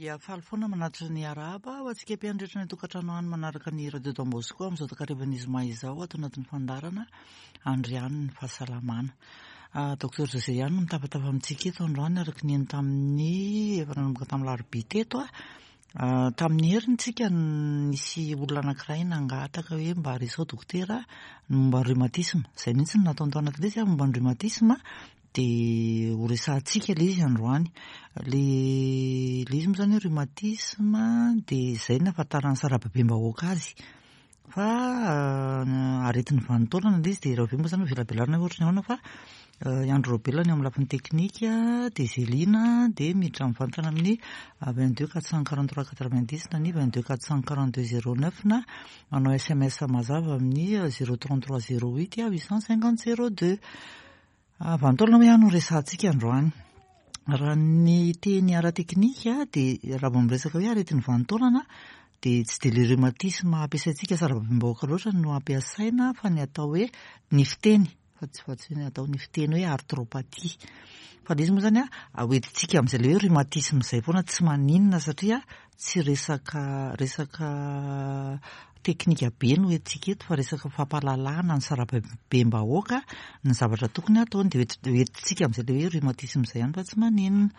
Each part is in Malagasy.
Dia faly foana manatitra ny arahaba ho antsika mpihaino rehetra any an-tokantrano any manaraka ny Radio Don Bosco amin'izao takarivan'ny zoma izao ato anatin'ny fandaharana Andrianin'ny fahasalamana. Docteur José ihany no mitafatafa amintsika eto androany araka ny heno tamin'ny efa nanomboka tamin'ny larobia teto. Tamin'ny heriny tsika nisy olona anankiray nangataka hoe mba resaho dokotera ny momba ny rhumatisme. Izay mihitsy no nataony tao anatin'ilay izy momba ny rhumatisme dia ho resahantsika ilay izy androany. Ilay ilay izy moa izany hoe rhumatisme dia izay no ahafantaran'ny sarababem-bahoaka azy. Fa aretin'ny vanin-taolana ilay izy dia raha avy eo moa izany velabelarina hoe ohatran'ny ahoana fa i Andry Raobelina ny eo amin'ny lafiny teknika dia Zelina dia miditra mivantana amin'ny 22 443 90 na ny 22 442 09 na manao sms mazava amin'ny 033 08 850 02. Vanin-taolana hoy aho no resahantsika androany. Raha ny teny ara-teknika dia raha vao miresaka hoe aretin'ny vanin-taolana dia tsy dia ilay rhumatisme ampiasaintsika sarababem-bahoaka loatra no ampiasaina fa ny atao hoe ny fiteny fa tsy fa tsy hoe ny atao ny fiteny hoe arthropathie. Fa ilay izy moa izany hoentintsika amin'izay ilay hoe rhumatisme izay foana tsy maninona satria tsy resaka resaka teknika be no entintsika eto fa resaka fampahalalana ny sarababem-bahoaka ny zavatra tokony hataony dia hoentintsika amin'izay ilay hoe rhumatisme izay ihany fa tsy maninona.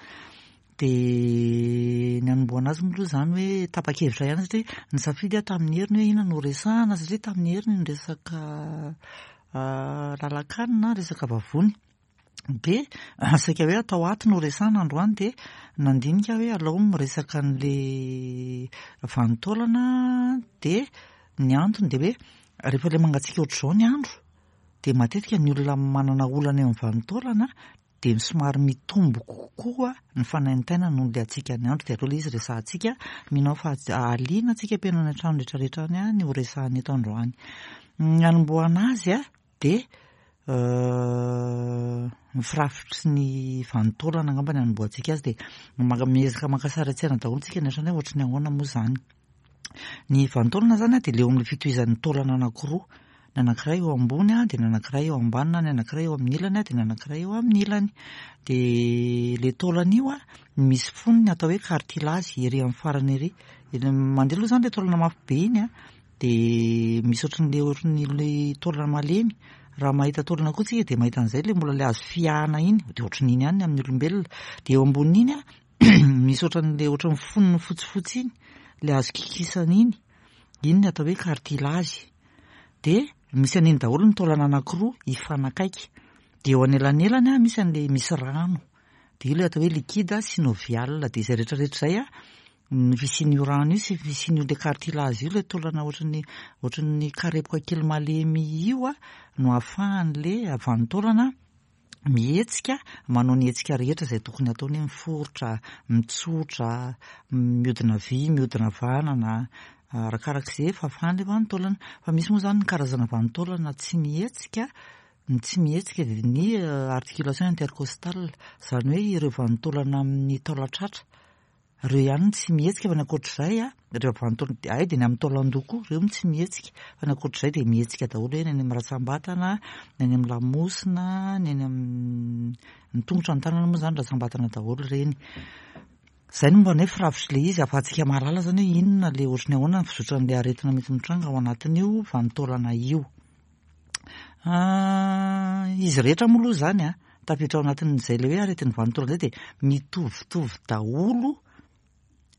Dia ny hanombohana azy moa aloha izany hoe tapa-kevitra ihany satria nisafidy aho tamin'ny heriny hoe inona no horesahana satria tamin'ny heriny ny resaka lalan-kanina, resaka vavony. Dia saika hoe atao ato no resahana androany dia nandinika aho hoe alao miresaka an'ilay vanin-taolana dia ny antony dia hoe rehefa ilay mangatsiaka ohatr'izao ny andro dia matetika ny olona manana olana eo amin'ny vanin-taolana dia somary mitombo kokoa ny fanaintainana noho ilay hatsiaka ny andro dia aleo ilay izy resahantsika, mino aho fa hahaliana antsika mpihaino any an-trano rehetra rehetra any ny ho resahana eto androany. Ny hanombohana azy dia ny firafitry ny vanin-taolana angamba ny hanombohantsika azy dia miezaka maka sary an-tsaina daholo tsika ny ohatrany hoe ohatry ny ahoana moa izany. Ny vanin-taolana izany dia ilay eo amin'ny fitohizan'ny taolana anankiroa, ny anankiray eo ambony dia ny anankiray eo ambany na ny anankiray eo amin'ny ilany dia ny anankiray eo amin'ny ilany. Dia ilay taolana io misy fonony atao hoe cartilage ery amin'ny farany ery. Mandeha aloha izany ilay taolana mafy be iny dia misy ohatran'ilay ohatran'ilay taolana malemy. Raha mahita taolana koa tsika dia mahita an'izay ilay mbola ilay azo fihahana iny, dia ohatran'iny ihany ny amin'ny olombelona. Dia eo ambonin'iny misy ohatran'ilay ohatran'ny fonony fotsifotsy iny, ilay azo kikisana iny, iny ny atao hoe cartilage. Dia misy an'iny daholo ny taolana anankiroa hifanakaiky. Dia eo anelanelany misy an'ilay misy rano. Dia io ilay atao hoe liquide synovial. Dia izay rehetra rehetra izay ny fisian'io rano io sy ny fisian'io ilay cartilage io, ilay taolana ohatran'ny ohatran'ny karepoka kely malemy io no ahafahan'ilay vanin-taolana mihetsika, manao ny hetsika rehetra izay tokony hataony hoe miforitra, mitsotra, mihodina havia, mihodina havanana, arakarak'izay fahafahan'ilay vanin-taolana. Fa misy moa izany ny karazana vanin-taolana tsy mihetsika, ny tsy mihetsika dia ny articulation intercostale, izany hoe ireo vanin-taolana amin'ny taolan-tratra. Ireo ihany no tsy mihetsika fa ny ankoatr'izay a, ireo avy any taolan-, hay dia ny amin'ny taolan-doha koa, ireo no tsy mihetsika fa ny ankoatr'izay dia mihetsika daholo hoe ny any amin'ny rantsambatana, ny any amin'ny lamosina, ny any amin'ny ny tongotra, ny tanana moa izany rantsambatana daholo ireny. Izay no mba ny hoe firafitr'ilay izy ahafahantsika mahalala izany hoe inona ilay ohatry ny ahoana ny fizotran'ilay aretina mety mitranga ao anatin'io vanin-taolana io. Izy rehetra moa aloha izany an, tafiditra ao anatin'izay ilay hoe aretin'ny vanin-taolana izay dia mitovitovy daholo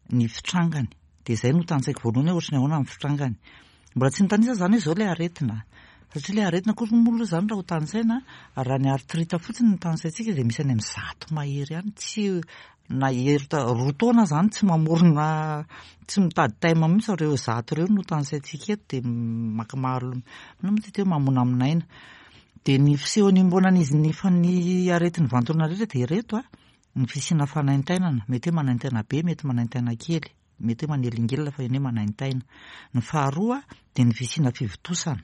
ny fitrangany. Dia izay no tantsaiko voalohany hoe ohatry ny ahoana ny fitrangany. Mbola tsy nitanisa izany hoe izao ilay aretina. Satria ilay aretina akory moa aloha izany raha ho tanisaina, raha ny arthrite fotsiny no tanisaintsika dia misy any amin'ny 100 mahery any. Tsy na roa taona izany tsy mamorona, tsy mitady thème mihitsy fa ireo 100 ireo no tanisaintsika eto dia maka maro, inona moa ity hoe mamonamonaina. Dia ny fisehon'ny iombonan'izy ny ny aretin'ny vanin-taolana rehetra dia ireto a, ny fisiana fanaintainana, mety hoe manaintaina be, mety manaintaina kely, mety hoe manelingelina fa eny hoe manaintaina. Ny faharoa dia ny fisiana fivontosana.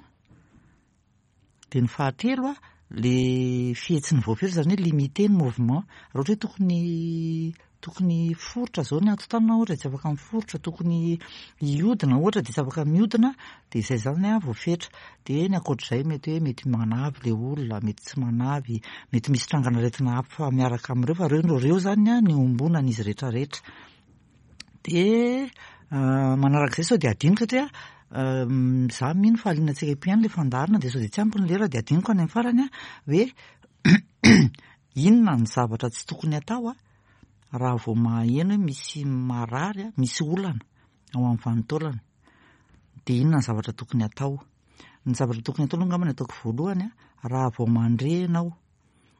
Dia ny fahatelo a, le fihetsiny voafetra izany hoe limité ny mouvement. Raha ohatra hoe tokony tokony hiforitra izao ny hatotanana ohatra dia tsy afaka miforitra, tokony hihodina ohatra dia tsy afaka mihodina, dia izay izany a voafetra. Dia ny ankoatr'izay mety hoe mety manavy ilay olona, mety tsy manavy, mety misy trangan'aretina hafa miaraka amin'ireo fa ireo no ireo izany a ny iombonan'izy rehetra rehetra. Dia manarak'izay sao dia adinoko satria za mino fa haliana antsika eto ihany ilay fandaharana dia sao dia tsy ampy ny lera dia adinoko any amin'ny farany hoe inona ny zavatra tsy tokony atao raha vao maheno hoe misy marary, misy olana ao amin'ny vanin-taolana. Dia inona ny zavatra tokony atao? Ny zavatra tokony atao aloha angamba ny ataoko voalohany, raha vao mandre ianao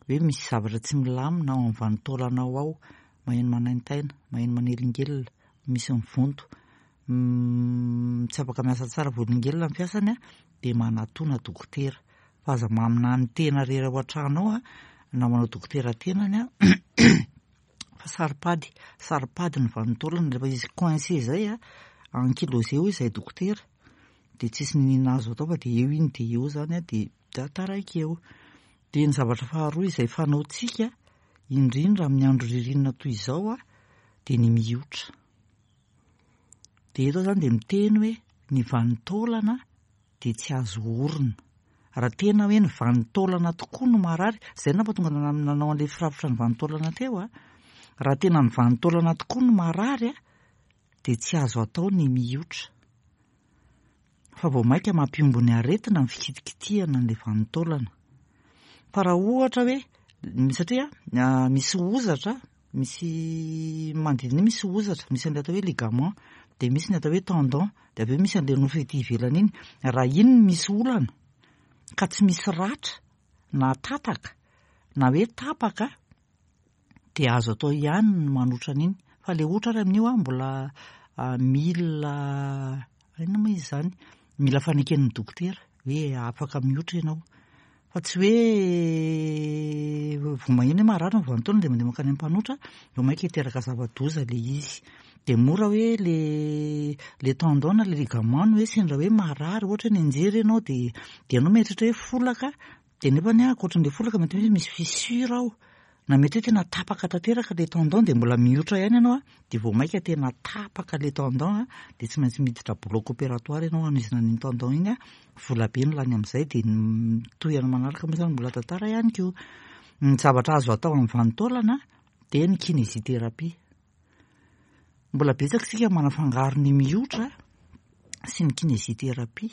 hoe misy zavatra tsy milamina ao amin'ny vanin-taolanao ao, maheno manaintaina, maheno manelingelina, misy mivonto, tsy afaka miasa tsara voaelingelina ny fiasany, dia manatona dokotera. Fa aza maminany tena irery ao an-trano ao na manao dokotera tenany fa saro-pady, saro-pady ny vanin-taolana rehefa izy coincé izay ankylosé hoy izahay dokotera, dia tsisy n'inona azo atao fa dia eo iny dia eo izany dia taraiky eo. Dia ny zavatra faharoa izay fanaontsika indrindra amin'ny andro ririnina toy izao dia ny miotra. Dia eto aho izany dia miteny hoe ny vanin-taolana dia tsy azo orina. Raha tena hoe ny vanin-taolana tokoa no marary, izay no nampatonga nanao an'ilay firafitra ny vanin-taolana teo a. Raha tena ny vanin-taolana tokoa no marary a, dia tsy azo atao ny miotra. Fa vao mainka mampihombo ny aretina ny fikitikitihana an'ilay vanin-taolana. Fa raha ohatra hoe, satria misy hozatra, misy manodidina iny misy hozatra, misy an'ilay atao hoe ligament, dia misy ny atao hoe tendon, dia avy eo misy an'ilay nofo ety ivelany iny. Raha iny no misy olana, ka tsy misy ratra, na tataka, na hoe tapaka, dia azo atao ihany ny manotra an'iny. Fa ilay ohatra ary amin'io an, mbola mila inona moa izy izany? Mila faneken'ny dokotera hoe afaka miotra ianao. Fa tsy hoe vao maheno hoe marary ny vanin-taona dia mandeha mankany amin'ny mpanotra, vao mainka hiteraka zava-doza ilay izy. Dia mora hoe le le tendon na le ligament no hoe sendra hoe marary, ohatra hoe nianjera ianao dia dia ianao mieritreritra hoe folaka, Dia nefa anie ankoatran'ilay folaka mety hoe misy fissure ao, na mety hoe tena tapaka tanteraka ilay tendon dia mbola miotra ihany ianao an, dia vao mainka tena tapaka ilay tendon an, dia tsy maintsy miditra bloc opératoire ianao hanohizana an'iny tendon iny an, vola be no lany amin'izay dia ny tohiny manaraka moa izany mbola tantara ihany koa. Ny zavatra azo atao amin'ny vanin-taolana dia ny kinésithérapie. Mbola betsaka isika manafangaro ny miotra sy ny kinésithérapie.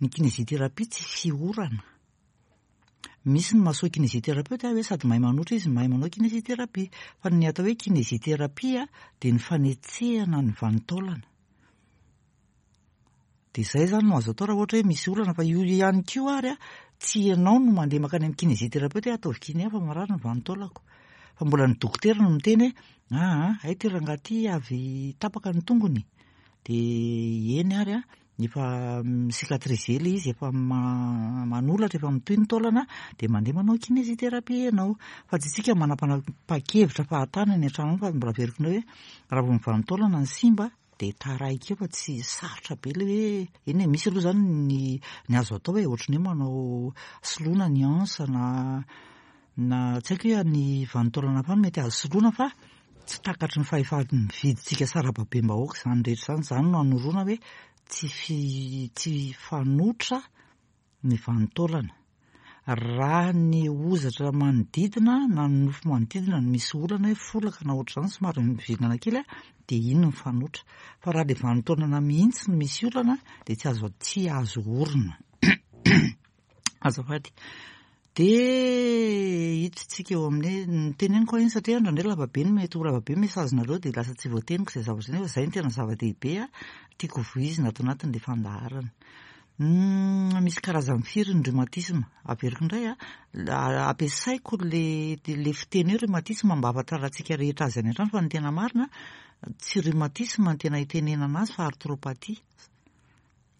Ny kinésithérapie tsy fiorana. Misy ny maso kinésithérapeute hoe sady mahay manotra izy no mahay manao kinésithérapie. Fa ny atao hoe kinésithérapie dia ny fanetsehana ny vanin-taolana. Dia izay izany no azo atao raha ohatra hoe misy olana fa io ihany koa ary tsy ianao no mandeha mankany amin'ny kinésithérapeute hoe ataovy kiné fa marary ny vanin-taolako. Fa mbola ny dokotera no miteny hoe aa hay ity rangahy ity avy tapaka ny tongony. Dia eny ary Efa mi-cicatriser ilay izy, efa manolatra, efa mitohy ny taolana dia mandeha manao kinésithérapie ianao. Fa tsy isika manapa-kevitra fahatany any an-trano any fa mbola averiko indray hoe raha vao ny vanin-taolana no simba dia taraiky eo fa tsy sarotra be ilay hoe, eny e, misy aloha izany ny ny azo atao e, ohatran'ny hoe manao soloina ny anse na na tsy haiko hoe ny vanin-taolana hafa mety azo soloina fa tsy takatry ny fahefa-mividintsika sarababem-bahoaka izany rehetra izany. Izany no anoroana hoe tsy fi, tsy fanoitra ny vanin-taolana. Raha ny hozatra manodidina na ny nofo manodidina no misy olana hoe folaka na ohatr'izany somary mivilana kely dia iny ny fanoitra. Fa raha ilay vanin-taolana mihitsy no misy olana dia tsy azo tsy azo orina. Azafady. Dia hiditsika eo amin'ny hoe, ny teneniko anie satria indraindray lava be ny mety ho lava be ny message-nareo dia lasa tsy voateniko izay zavatra izay nefa izay no tena zava-dehibe tiako voizina ato anatin'ilay fandaharana. Misy karazany firy ny rhumatisme? Averiko indray a, ampiasaiko le le fiteny hoe rhumatisme mba hahafantarantsika rehetra azy any an-trano fa ny tena marina tsy rhumatisme no tena itenenana azy fa arthropathie.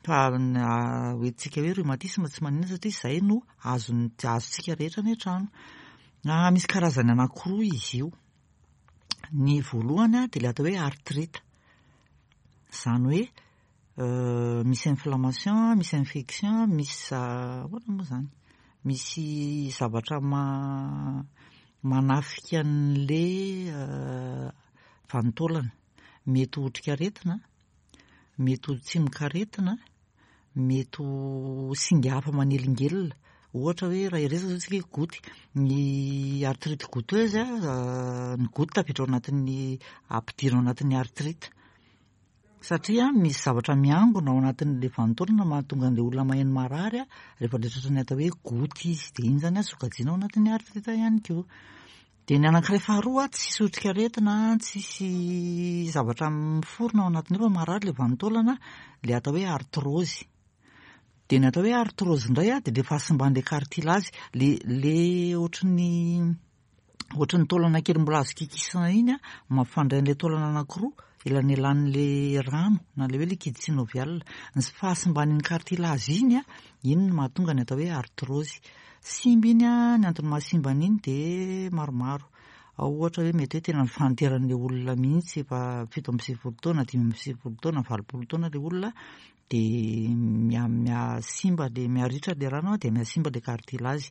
Fa hoentintsika hoe rhumatisme tsy maninona satria izay no azon'ny azontsika rehetra any an-trano. Misy karazany anankiroa izy io. Ny voalohany dia ilay atao hoe arthrite. Izany hoe misy inflammation, misy infection, misy ahoana moa izany? Misy zavatra manafika an'ilay vanin-taolana. Mety ho otrikaretina. Mety ho tsimokaretina, mety ho singa hafa manelingelina. Ohatra hoe raha hiresaka izao isika hoe goutte, ny arthrite goutteuse, ny goutte tafiditra ao anatin'ny, ampidirina ao anatin'ny arthrite. Satria misy zavatra miangona ao anatin'ilay vanin-taolana mahatonga an'ilay olona maheno marary rehefa ilay tratran'ny atao hoe goutte izy. Dia iny izany sokajiana ao anatin'ny arthrite ihany koa. Dia ny anankiray faharoa, tsisy otrikaretina, tsisy zavatra miforona ao anatiny ao fa marary ilay vanin-taolana, ilay atao hoe arthrose. Dia ny atao hoe arthrose indray dia ilay fahasimban'ilay cartilage, ilay ilay ohatran'ny ohatran'ny taolana kely mbola azo kikisana iny an, mampifandray an'ilay taolana anankiroa, elanelan'ilay rano na ilay hoe liquide synovial. Ny fahasimban'iny cartilage iny an, iny no mahatonga ny atao hoe arthrose. Simba iny an, ny antony mahasimba an'iny dia maromaro. Ao ohatra hoe mety hoe tena ny fahanteran'ilay olona mihitsy, efa 97 taona, 95 taona, 80 taona ilay olona, dia miha mihasimba ilay, miharitra ilay rano dia mihasimba ilay cartilage.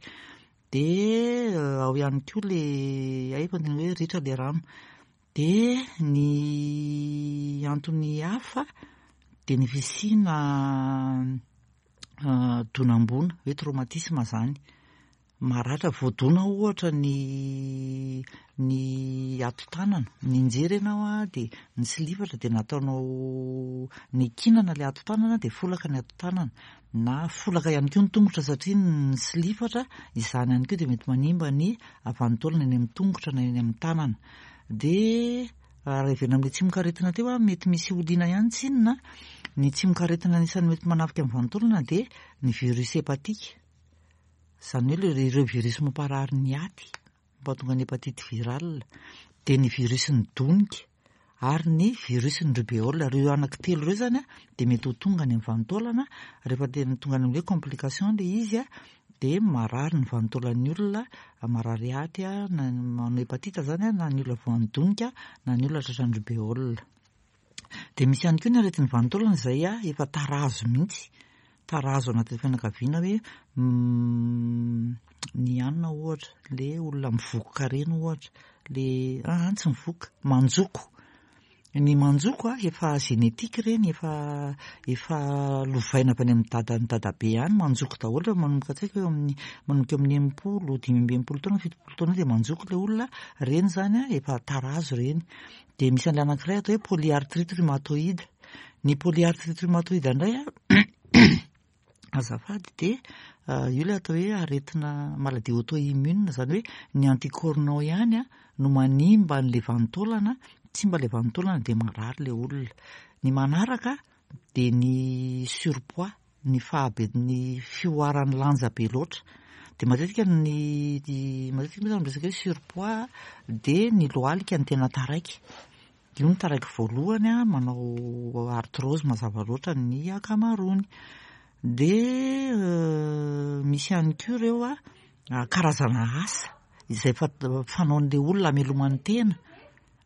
Dia ao ihany koa le hay efa niteny hoe ritra le rano. Dia ny antony hafa dia ny fisiana donam-boina hoe traumatisme zany. Maratra voadona ohatra ny ny hatotanana, nianjera ianao an dia nisilifatra dia nataonao nikinana ilay hatotanana dia folaka ny hatotanana. Na folaka ihany koa ny tongotra satria ny silifatra, izany ihany koa dia mety manimba ny vanin-taolana eny amin'ny tongotra na eny amin'ny tanana. Dia raha heverina amin'ilay tsimokaretina teo, mety misy olina ihany tsinona, ny tsimokaretina anisan'ny mety manafika ny vanin-taolana dia ny virus hépatique, izany hoe ireo virus mamparary ny aty. mampahatonga ny hépatite virale, dia ny virus-n'ny donika ary ny virus-n'ny rubéole. Ireo anankitelo ireo izany dia mety ho tonga any amin'ny vanin-taolana, rehefa tena tonga any amin'ny hoe complication ilay izy dia marary ny vanin-taolan'ny olona, marary aty, na manao hépatite izany na ny olona voan'ny donika na ny olona tratran'ny rubéole. Dia misy ihany koa ny aretin'ny vanin-taolana izay efa tarazo mihitsy, tarazo anatin'ny fianakaviana hoe ny anona ohatra, le olona mivokoka ireny ohatra, le aa tsy mivokoka, manjoko. Ny manjoko efa génétique ireny, efa efa lovaina avy any amin'ny dadan'ny dadabe any, manjoko daholo rehefa manomboka tsy haiko eo amin'ny manomboka eo amin'ny 60, 65 taona, 70 taona dia manjoko ilay olona, ireny izany efa tarazo ireny. Dia misy an'ilay anankiray atao hoe polyarthrite rhumatoïde. Ny polyarthrite rhumatoïde indray an, azafady, dia io ilay atao hoe aretina maladie auto-immune, izany hoe ny anticorps-nao ihany an no manimba an'ilay vanin-taolana, simba ilay vanin-taolana dia marary ilay olona. Ny manaraka dia ny surpoids, ny fahabe ny fihoaran'ny lanja be loatra. Dia matetika ny matetika moa izany miresaka hoe surpoids dia ny lohalika no tena taraiky. Io no taraiky voalohany an, manao arthrose mazava loatra ny ankamaroany. Dia misy ihany koa ireo an, karazana asa izay fanaon'ilay olona hamelomany tena.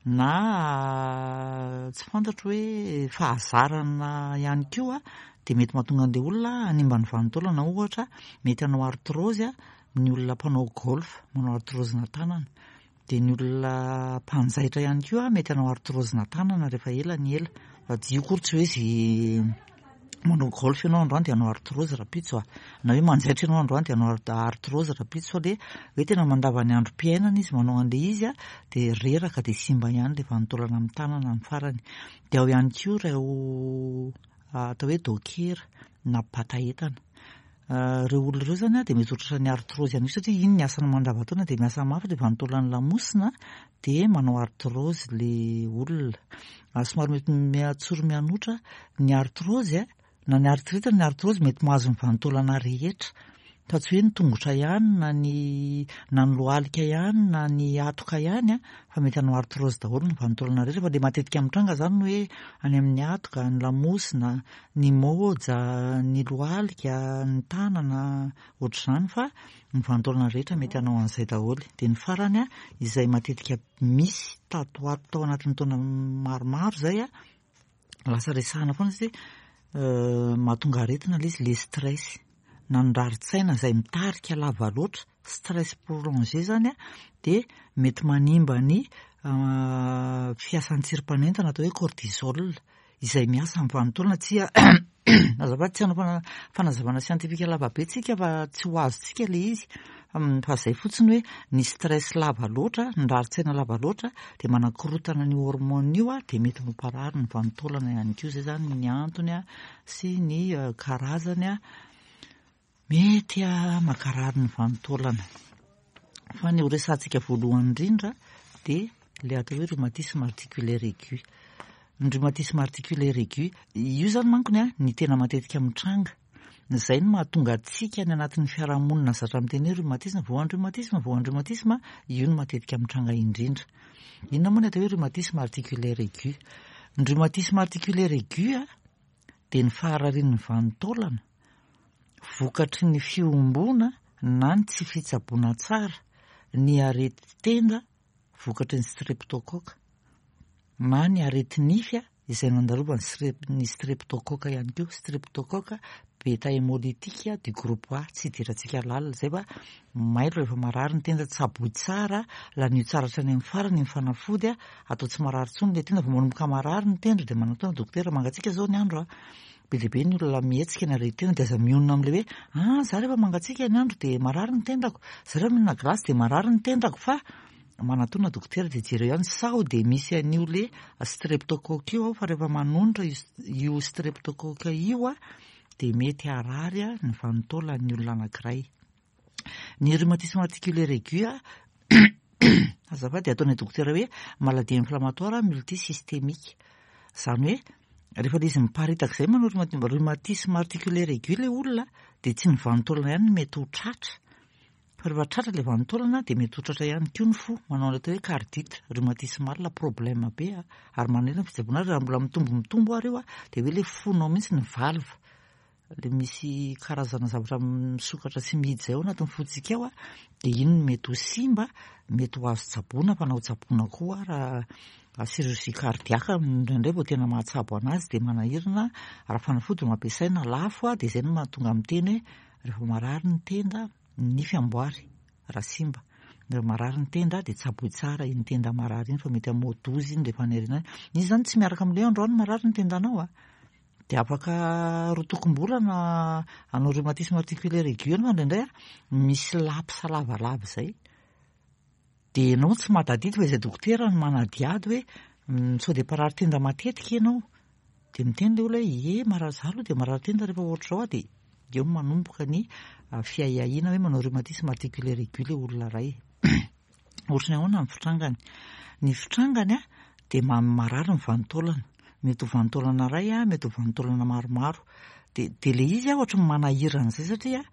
Na tsy fantatro hoe fahazarana ihany koa dia mety mahatonga an'ilay olona hanimba ny vanin-taolana ohatra mety hanao arthrose ny olona mpanao golf manao arthrose-na tanana dia ny olona mpanjaitra ihany koa mety hanao arthrose-na tanana rehefa ela ny ela fa tsy io akory tsy hoe izay manao golf ianao androany dia hanao arthrose rahampitso a, na hoe manjaitra ianao androany dia hanao arthrose rahampitso fa le hoe tena mandava ny androm-piainana izy manao an'ilay izy a, dia reraka dia simba ihany ilay vanin-taolana amin'ny tanana amin'ny farany. Dia ao ihany koa ireo atao hoe docker na mpibata entana. Ireo olona ireo izany dia mety ho tratran'ny arthrose ihany koa satria iny ny asany mandavantaona dia miasa mafy ilay vanin-taolan'ny lamosina dia manao arthrose ilay olona. Somary mety mihatsoro mihanotra ny arthrose na ny arthrite na ny arthrose mety mahazo ny vanin-taolana rehetra fa tsy hoe ny tongotra ihany na ny na ny lohalika ihany na ny hatoka ihany fa mety hanao arthrose daholo ny vanin-taolana rehetra fa ilay matetika mitranga izany ny hoe any amin'ny hatoka, ny lamosina, ny môja, ny lohalika, ny tanana ohatr'izany fa ny vanin-taolana rehetra mety hanao an'izay daholo. Dia ny farany izay matetika misy tato ho ato tao anatin'ny taona maromaro izay a, lasa resahana foana satria mahatonga aretina ilay izy, ilay stress na ny rarin-tsaina izay mitarika lava loatra, stress prolongé izany a, dia mety manimba ny fiasan'ny tsirim-panentana atao hoe cortisol izay miasa amin'ny vanin-taolana. Tsy azafady, tsy hanao fanazavana siantifika lava be tsika fa tsy ho azontsika ilay izy. Fa izay fotsiny hoe ny stress lava loatra, ny rarin-tsaina lava loatra dia manakorotana an'io hormone io dia mety mamparary ny vanin-taolana ihany koa. Izay izany ny antony sy ny karazany mety mankarary ny vanin-taolana. Fa ny ho resahantsika voalohany indrindra dia ilay atao hoe rhumatisme articulaire aigu. Ny rhumatisme articulaire aigu, io izany mankony ny tena matetika mitranga. Izay no mahatonga antsika any anatin'ny fiarahamonina zatra miteny hoe rhumatisme, voan'ny rhumatisme, voan'ny rhumatisme, io no matetika mitranga indrindra. Inona moa ny atao hoe rhumatisme articulaire aigu? Ny rhumatisme articulaire aigu dia ny fahararian'ny vanin-taolana vokatry ny fihomboana na ny tsy fitsaboana tsara ny aretin-tenda vokatry ny streptocoque na ny areti-nify izay nandalovan'ny ny streptocoque ihany koa. Streptocoque beta hémolytique du groupe A, tsy idirantsika lalina izay fa mailo rehefa marary ny tenda, tsaboy tsara, lanio tsara hatrany amin'ny farany ny fanafody, atao tsy marary intsony ilay tenda, vao manomboka marary ny tendro dia manatona dokotera, mangatsiaka izao ny andro a. Be dia be ny olona mihetsika ny aretin-tenda dia aza mionona amin'ilay hoe ah za rehefa mangatsiaka ny andro dia marary ny tendako, za rehefa mihinana glace dia marary ny tendako fa manatona dokotera dia jereo ihany sao dia misy an'io le streptocoque io ao fa rehefa manonitra io streptocoque io a dia mety harary ny vanin-taolan'ny olona anankiray. Ny rhumatisme articulaire aigu a azafady ataon'ny dokotera hoe maladie inflammatoire multisystémique. Izany hoe rehefa ilay izy miparitaka izay manao rhumatisme articulaire aigu ilay olona dia tsy ny vanin-taolana ihany no mety ho tratra. Fa rehefa tratra ilay vanin-taolana dia mety ho tratra ihany koa ny fo, manao ilay atao hoe cardite rhumatismale, problème be a, ary manahirana ny fitsaboana azy, raha mbola mitombo mitombo ary io a, dia hoe ilay fonao mihitsy ny valve, ilay misy karazana zavatra misokatra sy mihidy izay ao anatin'ny fontsika ao a, dia iny no mety ho simba, mety ho azo tsaboina fa na ho tsaboina koa ara chirurgie cardiaque indraindray vao tena mahatsabo anazy dia manahirana, raha fanafody no ampiasaina lafo a, dia izay no mahatonga miteny hoe rehefa marary ny tenda, ny nify amboary raha simba. Rehefa marary ny tenda dia tsaboy tsara iny tenda marary iny fa mety hamoa-doza iny rehefa any aoriana any. Izy izany tsy miaraka amin'ilay hoe androany marary ny tendanao a. Dia afaka roa tokom-bolana hanao rhumatisme articulaire aigu ianao indraindray a, misy laps lavalava izay. Dia ianao tsy mahatadidy fa izay dokotera no manadihady hoe sao dia mparary tenda matetika ianao. Dia miteny ilay olona hoe ie marary za aloha dia marary tenda rehefa ohatr'izao aho dia eo no manomboka ny fiahiahiana hoe manao rhumatisme articulaire aigu ilay olona iray. Ohatry ny ahoana ny fitrangany? Ny fitrangany dia marary ny vanin-taolana. Mety ho vanin-taolana iray, mety ho vanin-taolana maromaro. Dia dia ilay izy ohatry ny manahirana izay satria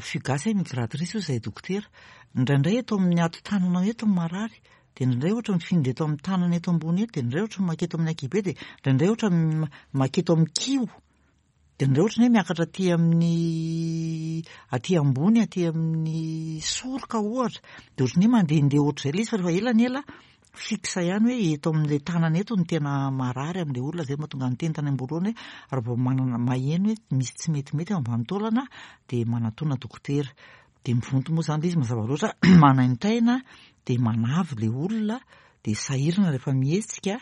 fugace migratrice hoy izahay dokotera. Indraindray eto amin'ny hatotananao eto ny marary, dia indraindray ohatra mifindra eto amin'ny tanana eto ambony eto, dia indraindray ohatra maketo amin'ny ankihibe, dia indraindray ohatra maketo amin'ny kiho. Dia indraindray ohatra ny hoe miakatra aty amin'ny aty ambony, aty amin'ny soroka ohatra, dia ohatran'ny hoe mandehandeha ohatr'izay ilay izy fa rehefa ela ny ela fixe ihany hoe eto amin'ilay tanana eto no tena marary amin'ilay olona, izay no mahatonga ny teny tany am-boalohany hoe raha vao manana maheno hoe misy tsy metimety ao ambany taolana dia manatona dokotera. Dia mivonto moa izany ilay izy mazava loatra, manaintaina dia manavy ilay olona, dia sahirana rehefa mihetsika.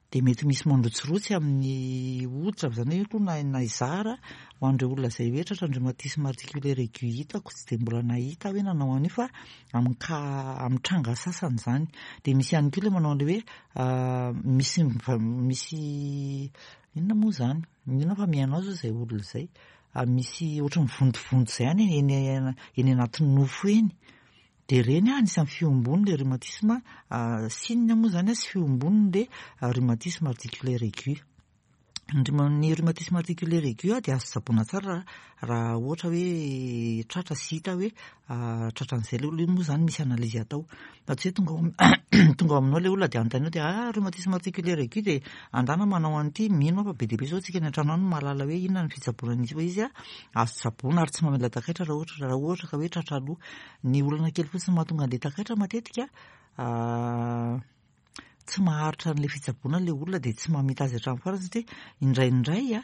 Dia mety misy mandrotsirotsy amin'ny hoditra avy izany hoe aloha na na hizara ho an'ireo olona izay hoe tratran'ny rhumatisme articulaire aigu hitako tsy dia mbola nahita aho hoe nanao an'io fa amin'ny cas amin'ny tranga sasany izany. Dia misy ihany koa ilay manao an'ilay hoe misy misy inona moa izany? Mino aho fa mihaino azy izay olona izay. Misy ohatran'ny vontovonto izay ihany eny eny anatin'ny nofo eny. Dia ireny anisan'ny fihombony ilay rhumatisme, signe moa izany sy fihombony ilay rhumatisme articulaire aigu. Ny rhumatisme articulaire aigu dia azo tsaboina tsara raha ohatra hoe tratra sy hita hoe tratran'izay ilay olona, io moa izany misy analyse atao. Fa tsy hoe tonga ao tonga ao aminao ilay olona dia anontaniana dia ah rhumatisme articulaire aigu dia andana manao an'ity, mino aho fa be dia be izao tsika any an-trano any no mahalala hoe inona ny fitsaboana an'izy fa izy azo tsaboina ary tsy mamela takaitra raha ohatra raha ohatra ka hoe tratra aloha. Ny olana kely fotsiny mahatonga an'ilay takaitra matetika tsy maharitra an'ilay fitsaboana ilay olona dia tsy mamita azy hatramin'ny farany satria indraindray a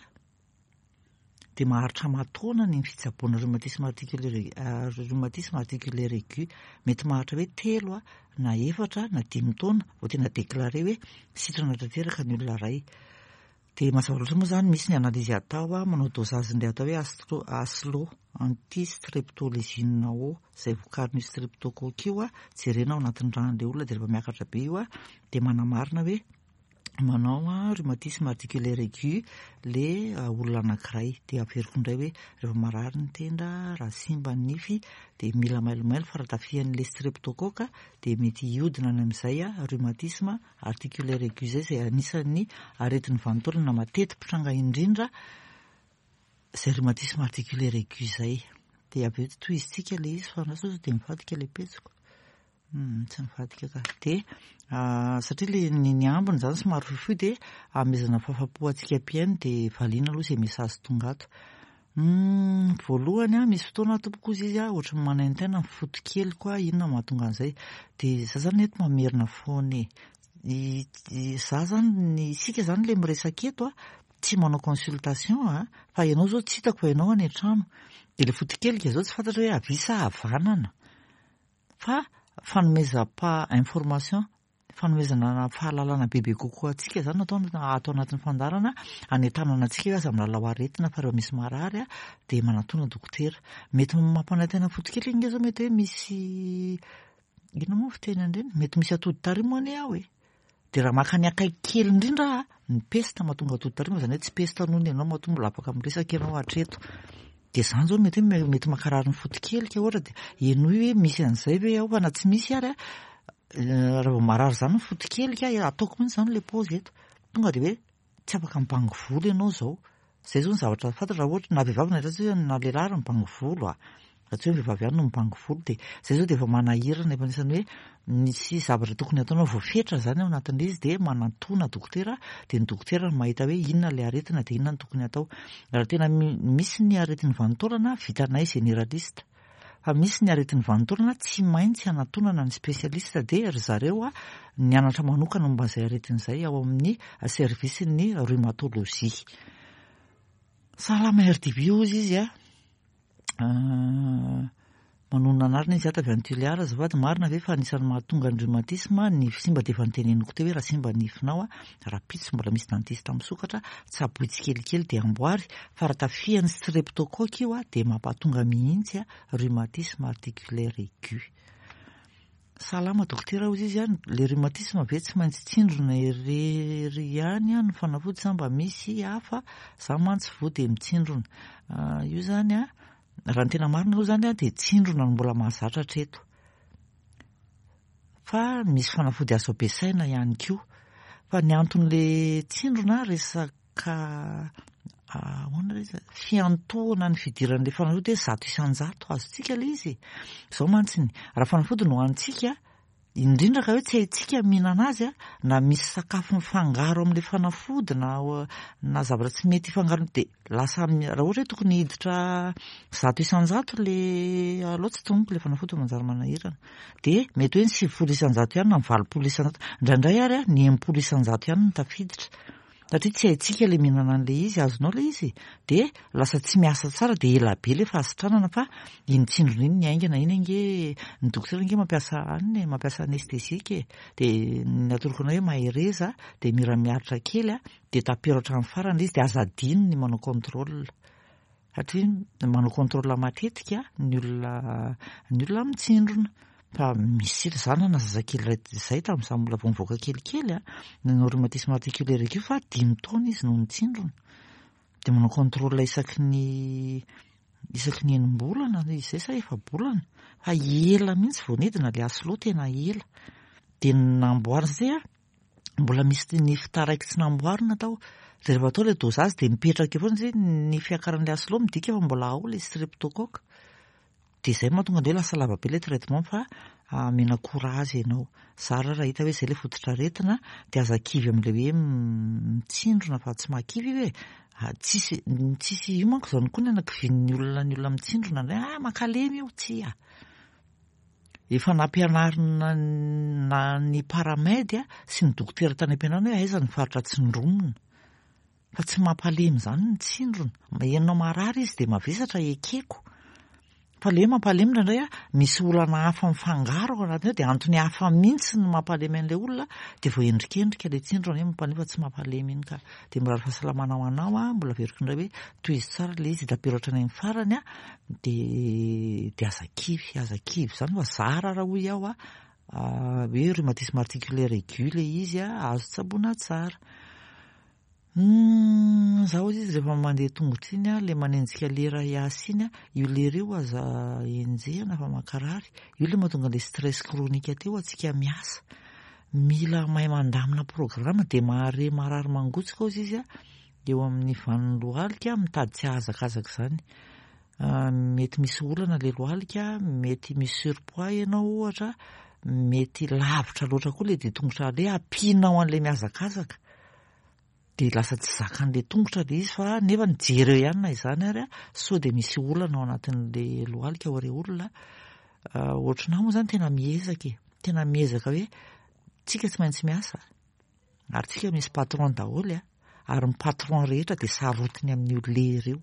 dia maharitra aman-taona ny fitsaboana rhumatisme articulaire rhumatisme articulaire aigu. Mety maharitra hoe 3 na 4 na 5 taona vao tena déclaré hoe sitrana tanteraka ny olona iray. Dia mazava loatra moa izany misy ny analyse atao, manao dosage indray atao hoe astro, ASLO, anti-streptolysine O, izay vokarin'io streptocoque io, jerena ao anatin'ny ràn'ilay olona dia rehefa miakatra be io dia manamarina hoe manao rhumatisme articulaire aigu le olona anankiray. Dia averiko indray hoe rehefa marary ny tenda, raha simba ny nify dia mila mailomailo fa raha tafihan'ilay streptocoque dia mety hiodina any amin'izay rhumatisme articulaire aigu izay, izay anisan'ny aretin'ny vanin-taolana mateti-pitranga indrindra izay rhumatisme articulaire aigu izay. Dia avy eo tohizintsika ilay izy fa andraso sao dia mivadika ilay pejiko. Tsy nivadika ka. Dia satria ilay ny ambiny izany somary fohifohy dia amezana fahafapo antsika mpihaino dia valiana aloha izay message tonga ato. Voalohany an, misy fotoana aho tompoko hozy izy an, ohatran'ny manaintaina ny foto-keliko aho, inona no mahatonga an'izay? Dia za izany eto mamerina foana e. Za izany, ny isika izany ilay miresaka eto an, tsy manao consultation an, fa ianao izao tsy hitako fa ianao any an-trano. Dia ilay foto-kelika izao tsy fantatra hoe havia sa havanana. Fa fanomezam-pa information, fanomezana fahalalana bebe kokoa antsika izany no atao ato anatin'ny fandaharana, hanentanana antsika hoe aza milalao aretina fa rehefa misy marary dia manatona dokotera. Mety mampanaintaina foto-kely ange izao mety hoe misy inona moa ny fiteny an'ireny? Mety misy atody tarimo anie ao e. Dia raha maka ny akaiky kely indrindra aho, ny pesta mahatonga atody tarimo, izany hoe tsy pesta noho ny ianao matoa mbola afaka miresaka ianao hatreto. Dia izany izao mety hoe mety mankarary ny foto-kelika ohatra dia henoy hoe misy an'izay ve ao fa na tsy misy ary raha vao marary izany ny foto-kelika, ataoko mihitsy izany ilay paozy eto. Tonga dia hoe tsy afaka mibango volo ianao izao. Izay izao ny zavatra fantatra raha ohatra na vehivavy na lehilahy, na lehilahy ary mibango volo a. Raha tsy hoe ny vehivavy ihany no mibango volo dia izay izao dia efa manahirana, efa anisan'ny hoe misy zavatra tokony hataonao voafetra izany ao anatin'ilay izy dia manantona dokotera dia ny dokotera no mahita hoe inona ilay aretina dia inona no tokony hatao. Raha tena misy ny aretin'ny vanin-taolana vitanay généraliste fa misy ny aretin'ny vanin-taolana tsy maintsy hanatonana ny spécialiste dia ry zareo nianatra manokana momba an'izay aretina izay ao amin'ny service-n'ny rhumatologie. Salama RDB hozy izy a. Manonona anarana izy ato avy any Tuléar azafady, marina ve fa anisan'ny mahatonga ny rhumatisme ny nify simba dia efa noteneniko teo hoe raha simba ny nifinao rahampitso mbola misy dentiste misokatra tsaboy tsikelikely dia amboary fa raha tafihan'ny streptocoque io dia mampatonga mihitsy rhumatisme articulaire aigu. Salama dokotera hozy izy an, le rhumatisme ve tsy maintsy tsindrona irery ihany an ny fanafody sa mba misy hafa, za mantsy voa dia mitsindrona. Io zany an, raha ny tena marina aloha zany an dia tsindrona no mbola mahazatra hatreto. Fa misy fanafody azo ampiasaina ihany koa. Fa ny anton'le tsindrona resaka Ka ahoana re izy? Fiantohana ny fidiran'ilay fanafody hoe 100% azontsika ilay izy e. Izao mantsy ny, raha fanafody no hohanintsika, indrindra ka hoe tsy haintsika mihinana azy, na misy sakafo mifangaro amin'ilay fanafody na na zavatra tsy mety hifangaro dia lasa raha ohatra hoe tokony hiditra 100% ilay aleo tsy tononiko ilay fanafody fa manjary manahirana. Dia mety hoe ny 90% ihany na ny 80%, indraindray ary ny 60% ihany no tafiditra. Satria tsy haintsika ilay mihinana an'ilay izy, azonao ilay izy? Dia lasa tsy miasa tsara dia ela be ilay fahasitranana fa iny tsindrona iny ny haingana iny ange, ny dokotera ange mampiasa anona e, mampiasa anesthésique e. Dia ny atoroko anao hoe mahereza dia mira miaritra kely dia tapero hatramin'ny farany ilay izy dia aza adino ny manao contrôle. Satria manao contrôle matetika ny olona ny olona mitsindrona. Fa misy za nanana zazakely iray izay tamin'izaho mbola vao nivoaka kelikely a, nanao rhumatisme articulaire io fa 5 taona izy no nitsindrona. Dia manao contrôle isaky ny isaky ny enim-bolana izay sa efa-bolana. Fa ela mihitsy vao nidina ilay aslo tena ela. Dia namboarina satria mbola misy nify taraiky tsy namboarina tao. Dia rehefa atao ilay dosage dia mipetraka eo foana satria ny fiakaran'ilay aslo midika fa mbola ao ilay streptocoque. Dia izay no mahatonga ny hoe lasa lava be ilay traitement fa omena courage ianao. Zara raha hita hoe izay ilay fototr'aretina dia aza kivy amin'ilay hoe mitsindrona fa tsy mahakivy io e. Tsisy, tsisy, io manko izany koa ny anakivian'ny olona ny olona mitsindrona indray, ah mankalemy io, tsia. Efa nampianarina na ny paramed sy ny dokotera tany am-pianarana hoe aiza ny faritra tsindromina. Fa tsy mampalemy izany ny tsindrona. Ianao marary izy dia mavesatra ekeko. Fa le hoe mampalemy indraindray a, misy olana hafa mifangaro ao anatiny ao dia antony hafa mihitsy no mampalemy an'ilay olona dia voaendrikendrika ilay tsindrona hoe mampalemy fa tsy mampalemy iny ka. Dia mirary fahasalamana ho anao a, mbola averiko indray hoe tohizo tsara ilay izy hita-peo hatrany amin'ny farany a, dia dia aza kivy, aza kivy izany fa zara raha hoy aho a, hoe rhumatisme articulaire aigu ilay izy a, azo tsaboina tsara. Humm za ozy izy rehefa mandeha tongotra iny a, le manenjika lera hiasa iny a, io lera io aza enjehina fa mankarary, io le mahatonga le stress chronique teo antsika miasa, mila mahay mandamina programme de mahare marary mangotsika ozy izy a, eo amin'ny vanin'ny lohalika mitady tsy hahazakazaka izany, mety misy olana le lohalika, mety misy surpoids ianao ohatra, mety lavitra loatra koa le dia tongotra aleha, ampianao an'le mihazakazaka. Dia lasa tsy zakan'ilay tongotra ilay izy fa nefa ny jereo ihany na izany ary sao dia misy olana ao anatin'ilay lohalika ao re olona. Ohatranà moa izany tena miezaka e, tena miezaka hoe tsika tsy maintsy miasa ary tsika misy patron daholo a, ary ny patron rehetra dia sarotiny amin'io lera io.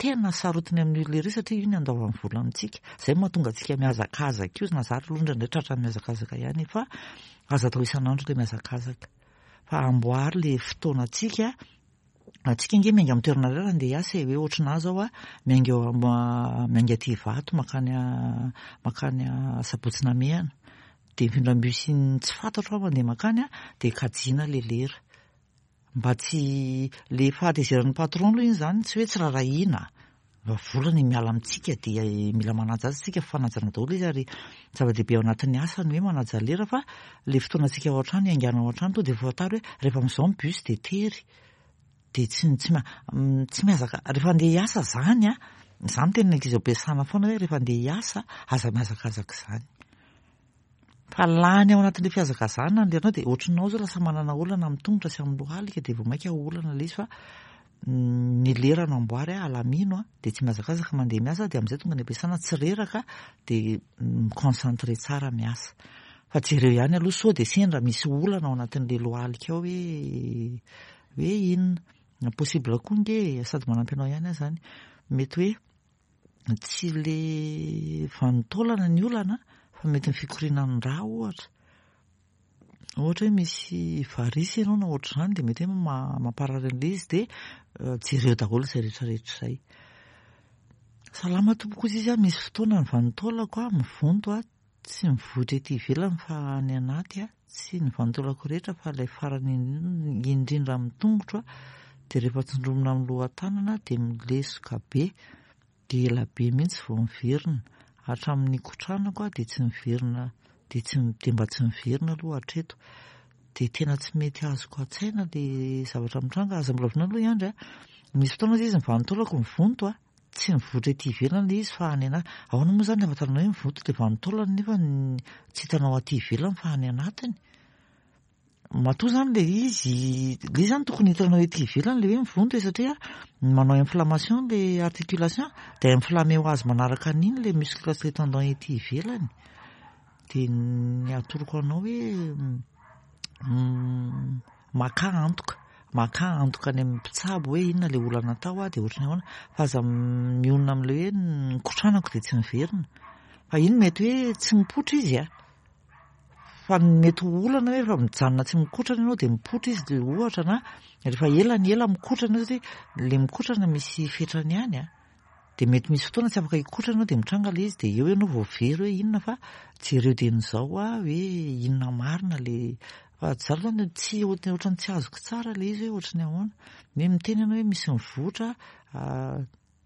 Tena sarotiny amin'io lera io satria io ny andoavany vola amintsika. Izay no mahatonga antsika mihazakazaka io, na za aloha indraindray tratran'ny mihazakazaka ihany fa aza atao isan'andro ilay mihazakazaka. Fa amboary le fotoanantsika, antsika ange miainga amin'ny toerana iray raha andeha hiasa e, hoe ohatranà zao a, miainga eo miainga aty Ivato mankany mankany Sabotsy Namehana, dia mifindra bus tsy fantatro aho mandeha mankany a, dia kajiana le lera. Mba tsy, le fahatezeran'ny patron aloha iny zany tsy hoe tsy rarahiana, fa vola ny miala amintsika dia mila manaja azy tsika, fifanajana daholo izy ary zava-dehibe ao anatin'ny asa ny hoe manaja lera fa le fotoanantsika ao an-trano hiaingàna ao an-trano tonga dia fantaro hoe rehefa amin'izao ny bus dia tery, dia tsy tsy tsy mihazaka, rehefa andeha hiasa zany an, za miteny ny ankizy ao am-piasana foana hoe rehefa andeha hiasa aza mihazakazaka izany. Fa lany ao anatin'ilay fihazakazahana ny leranao dia ohatrinao zao lasa manana olana amin'ny tongotra sy amin'ny lohalika dia vao mainka olana ilay izy fa ny lera no amboary a, alamino a, dia tsy mihazakazaka mandeha miasa dia amin'izay tonga any am-piasana tsy reraka dia mi-concentrer tsara miasa. Fa jereo ihany aloha sao dia sendra misy olana ao anatin'ilay lohalika ao hoe hoe inona. Possible koa nge e, sady manampy anao ihany aho izany. Mety hoe tsy le vanin-taolana ny olana fa mety ny fikorianan'ny rà ohatra. Ohatra hoe misy varisy ianao na ohatr'izany dia mety hoe mamparary an'ilay izy dia jereo daholo izay rehetra rehetra izay. Salama tompoko hozy izy a, misy fotoana ny vanin-taolako a, mivonto a, tsy mivoitra ety ivelany fa any anaty a, tsy ny vanin-taolako rehetra fa ilay farany indrindra amin'ny tongotro a, dia rehefa tsindromina amin'ny lohan-tanana dia milesoka be, dia ela be mihitsy vao miverina, hatramin'ny nikotranako aho dia tsy miverina, dia tsy dia mba tsy miverina aloha hatreto, dia tena tsy mety azoko an-tsaina ilay zavatra mitranga, aza mbola vonoina aloha i Andry a, misy fotoana izy ny vanin-taolako mivonto a, Tsy mivoitra ety ivelany ilay izy fa any anaty. Ahoana moa izany ny ahafantaranao hoe mivoitra ilay vanin-taolana nefa tsy hitanao aty ivelany fa any anatiny? Matoa izany ilay izy, ilay izy izany tokony hitanao ety ivelany ilay hoe mivonto e satria manao inflammation ilay articulation dia inflammé ho azy manaraka an'iny ilay muscle sy ilay tendon ety ivelany. Dia ny atoroko anao hoe makà antoka, makà antoka any amin'ny mpitsabo hoe inona ilay olana tao dia ohatran'ny ahoana, fa aza mionona amin'ilay hoe nikotranako dia tsy niverina. Fa iny mety hoe tsy mipoitra izy a, fa ny mety ho olana hoe rehefa mijanona tsy mikotrana ianao dia mipoitra izy dia ohatra na rehefa ela ny ela mikotrana ianao satria ilay mikotrana misy fetrany ihany a. Dia mety misy fotoana tsy afaka hikotrana ianao dia mitranga ilay izy dia eo ianao vao very hoe inona fa jereo dieny izao hoa hoe inona marina ilay fa za aloha zany tsy ohatran'ny tsy azoko tsara ilay izy hoe ohatran'ny ahoana. Hoe miteny ianao hoe misy mivoatra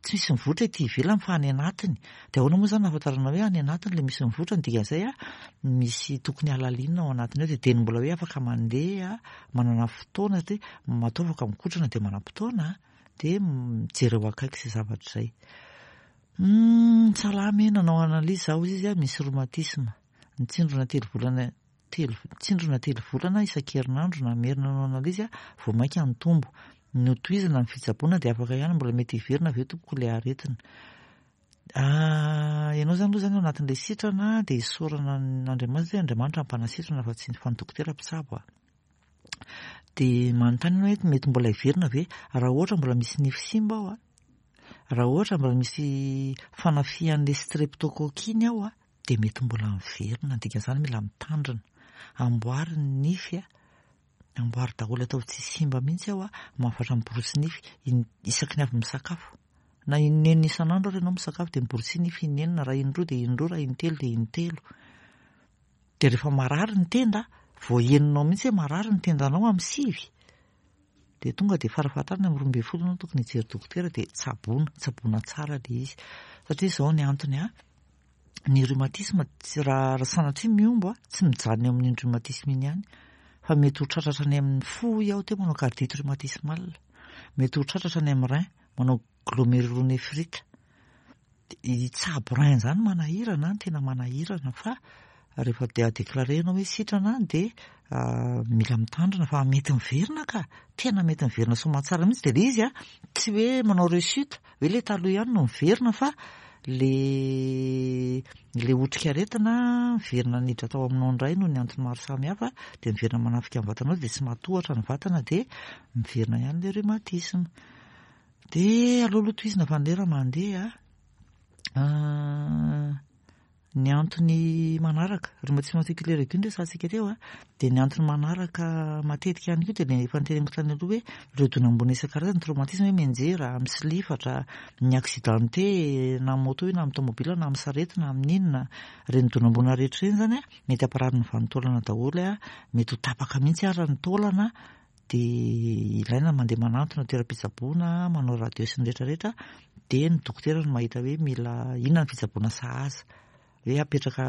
tsy misy mivoatra ety ivelany fa any anatiny. Dia ahoana moa izany no ahafantaranao hoe any anatiny ilay misy mivoatra? Ny dikan'izay misy tokony halalinina ao anatiny ao dia dieny mbola hoe afaka mandeha manana fotoana satria matoa afaka mikotrana dia manam-potoana. Dia jereo akaiky izay zavatra izay. Humm, salama e, nanao analyse za hozy izy a, misy rhumatisme. Nitsindrona telo volana telo nitsindrona telo volana isan-kerinandro namerina nanao analyse aho, vao mainka nitombo. Notohizana ny fitsaboana dia afaka ihany, mbola mety hiverina ve tompoko ilay aretina? Ah, ianao izany aloha izany ao anatin'ilay sitrana dia isaorana an'Andriamanitra hoe Andriamanitra mpanasitrana fa tsy fa ny dokotera mpitsabo a. Dia manontany ianao hoe mety mbola hiverina ve? Raha ohatra mbola misy nify simba ao a, Raha ohatra mbola misy fanafihan'ilay streptocoque iny ao dia mety mbola miverina, ny dikan'izany mila mitandrina. Amboary ny nify a, amboary daholo ataovy tsy simba mihitsy ao a, mahafatra miborosy nify isaky ny avy misakafo. Na inenina isan'andro ary ianao misakafo dia miborosy nify inenina, raha indroa dia indroa, raha intelo dia intelo. Dia rehefa marary ny tenda, vao henonao mihitsy hoe marary ny tendanao amin'ny 9, dia tonga dia farafahatarany amin'ny 12 ianao tokony hijery dokotera dia tsaboina, tsaboina tsara ilay izy. Satria izao ny antony a, ny rhumatisme tsy raha sanatria mihombo a, tsy mijanona eo amin'iny rhumatisme iny ihany, fa mety ho tratratra any amin'ny fo hoy aho teo manao cardite rhumatismale, mety ho tratratra any amin'ny rein manao glomérulonéphrite. Hitsabo rein izany manahirana, tena manahirana fa rehefa dia déclaré ianao hoe sitrana dia mila mitandrina fa mety miverina ka, tena mety miverina soamantsara mihitsy. Dia ilay izy a, tsy hoe manao rechute, hoe ilay taloha ihany no miverina fa le otrikaretina miverina niditra tao aminao indray noho ny antony maro samihafa, dia miverina manafika ny vatanao dia tsy matohatra ny vatana dia miverina ihany ilay rhumatisme. Dia aleo aloha tohizina fa ny lera mandeha. Ny antony manaraka, rhumatisme articulaire aigu no resahantsika teo a, dia ny antony manaraka matetika ihany koa dia ilay efa noteneniko tany aloha hoe ireo donam-boina isan-karazany, traumatisme hoe mianjera, misilifatra, ny accidenté na amin'ny moto io na amin'ny tomobile na amin'ny sarety na amin'ny inona, ireny donam-boina rehetra ireny izany a, mety hamparary ny vanin-taolana daholo a, mety ho tapaka mihitsy ara ny taolana, dia ilaina mandeha manantona toeram-pitsaboana, manao radio sy ny rehetra rehetra, dia ny dokotera no mahita hoe mila inona ny fitsaboana sahaza, hoe apetraka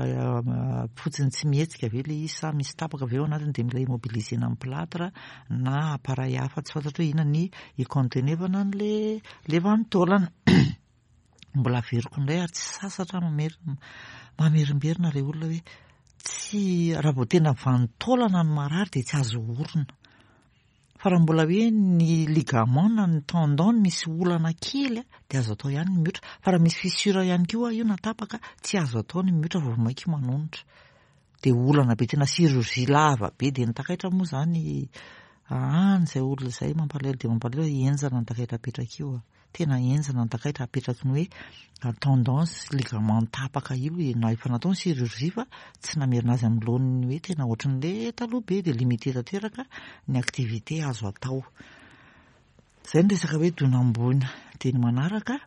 fotsiny tsy mihetsika ve ilay izy sa misy tapaka ve ao anatiny dia mila immobilisena amin'ny plâtre na appareil hafa tsy fantatro hoe inona ny hicontenevana an'ilay ilay vanin-taolana. Mbola averiko indray ary tsy sasatra mamerimberina ilay olona hoe tsy raha vao tena vanin-taolana ny marary dia tsy azo orina. Fa raha mbola hoe ny ligament na ny tendon misy olana kely dia azo atao ihany ny miotra. Fa raha misy fissure ihany koa io na tapaka tsy azo atao ny miotra vao mainka manonitra. Dia olana be tena chirurgie lava be dia ny takaitra moa izany any izay olona izay mampalahelo dia mampalahelo henjana ny takaitra apetraka io. Tena henjana ny takaitra apetraky ny hoe tendon sy ligament tapaka io e, na efa natao ny chirurgie fa tsy namerina azy amin'ny laoniny hoe tena ohatran'ilay taloha be dia limité tanteraka ny activité azo atao. Izay ny resaka hoe donam-boina. Dia ny manaraka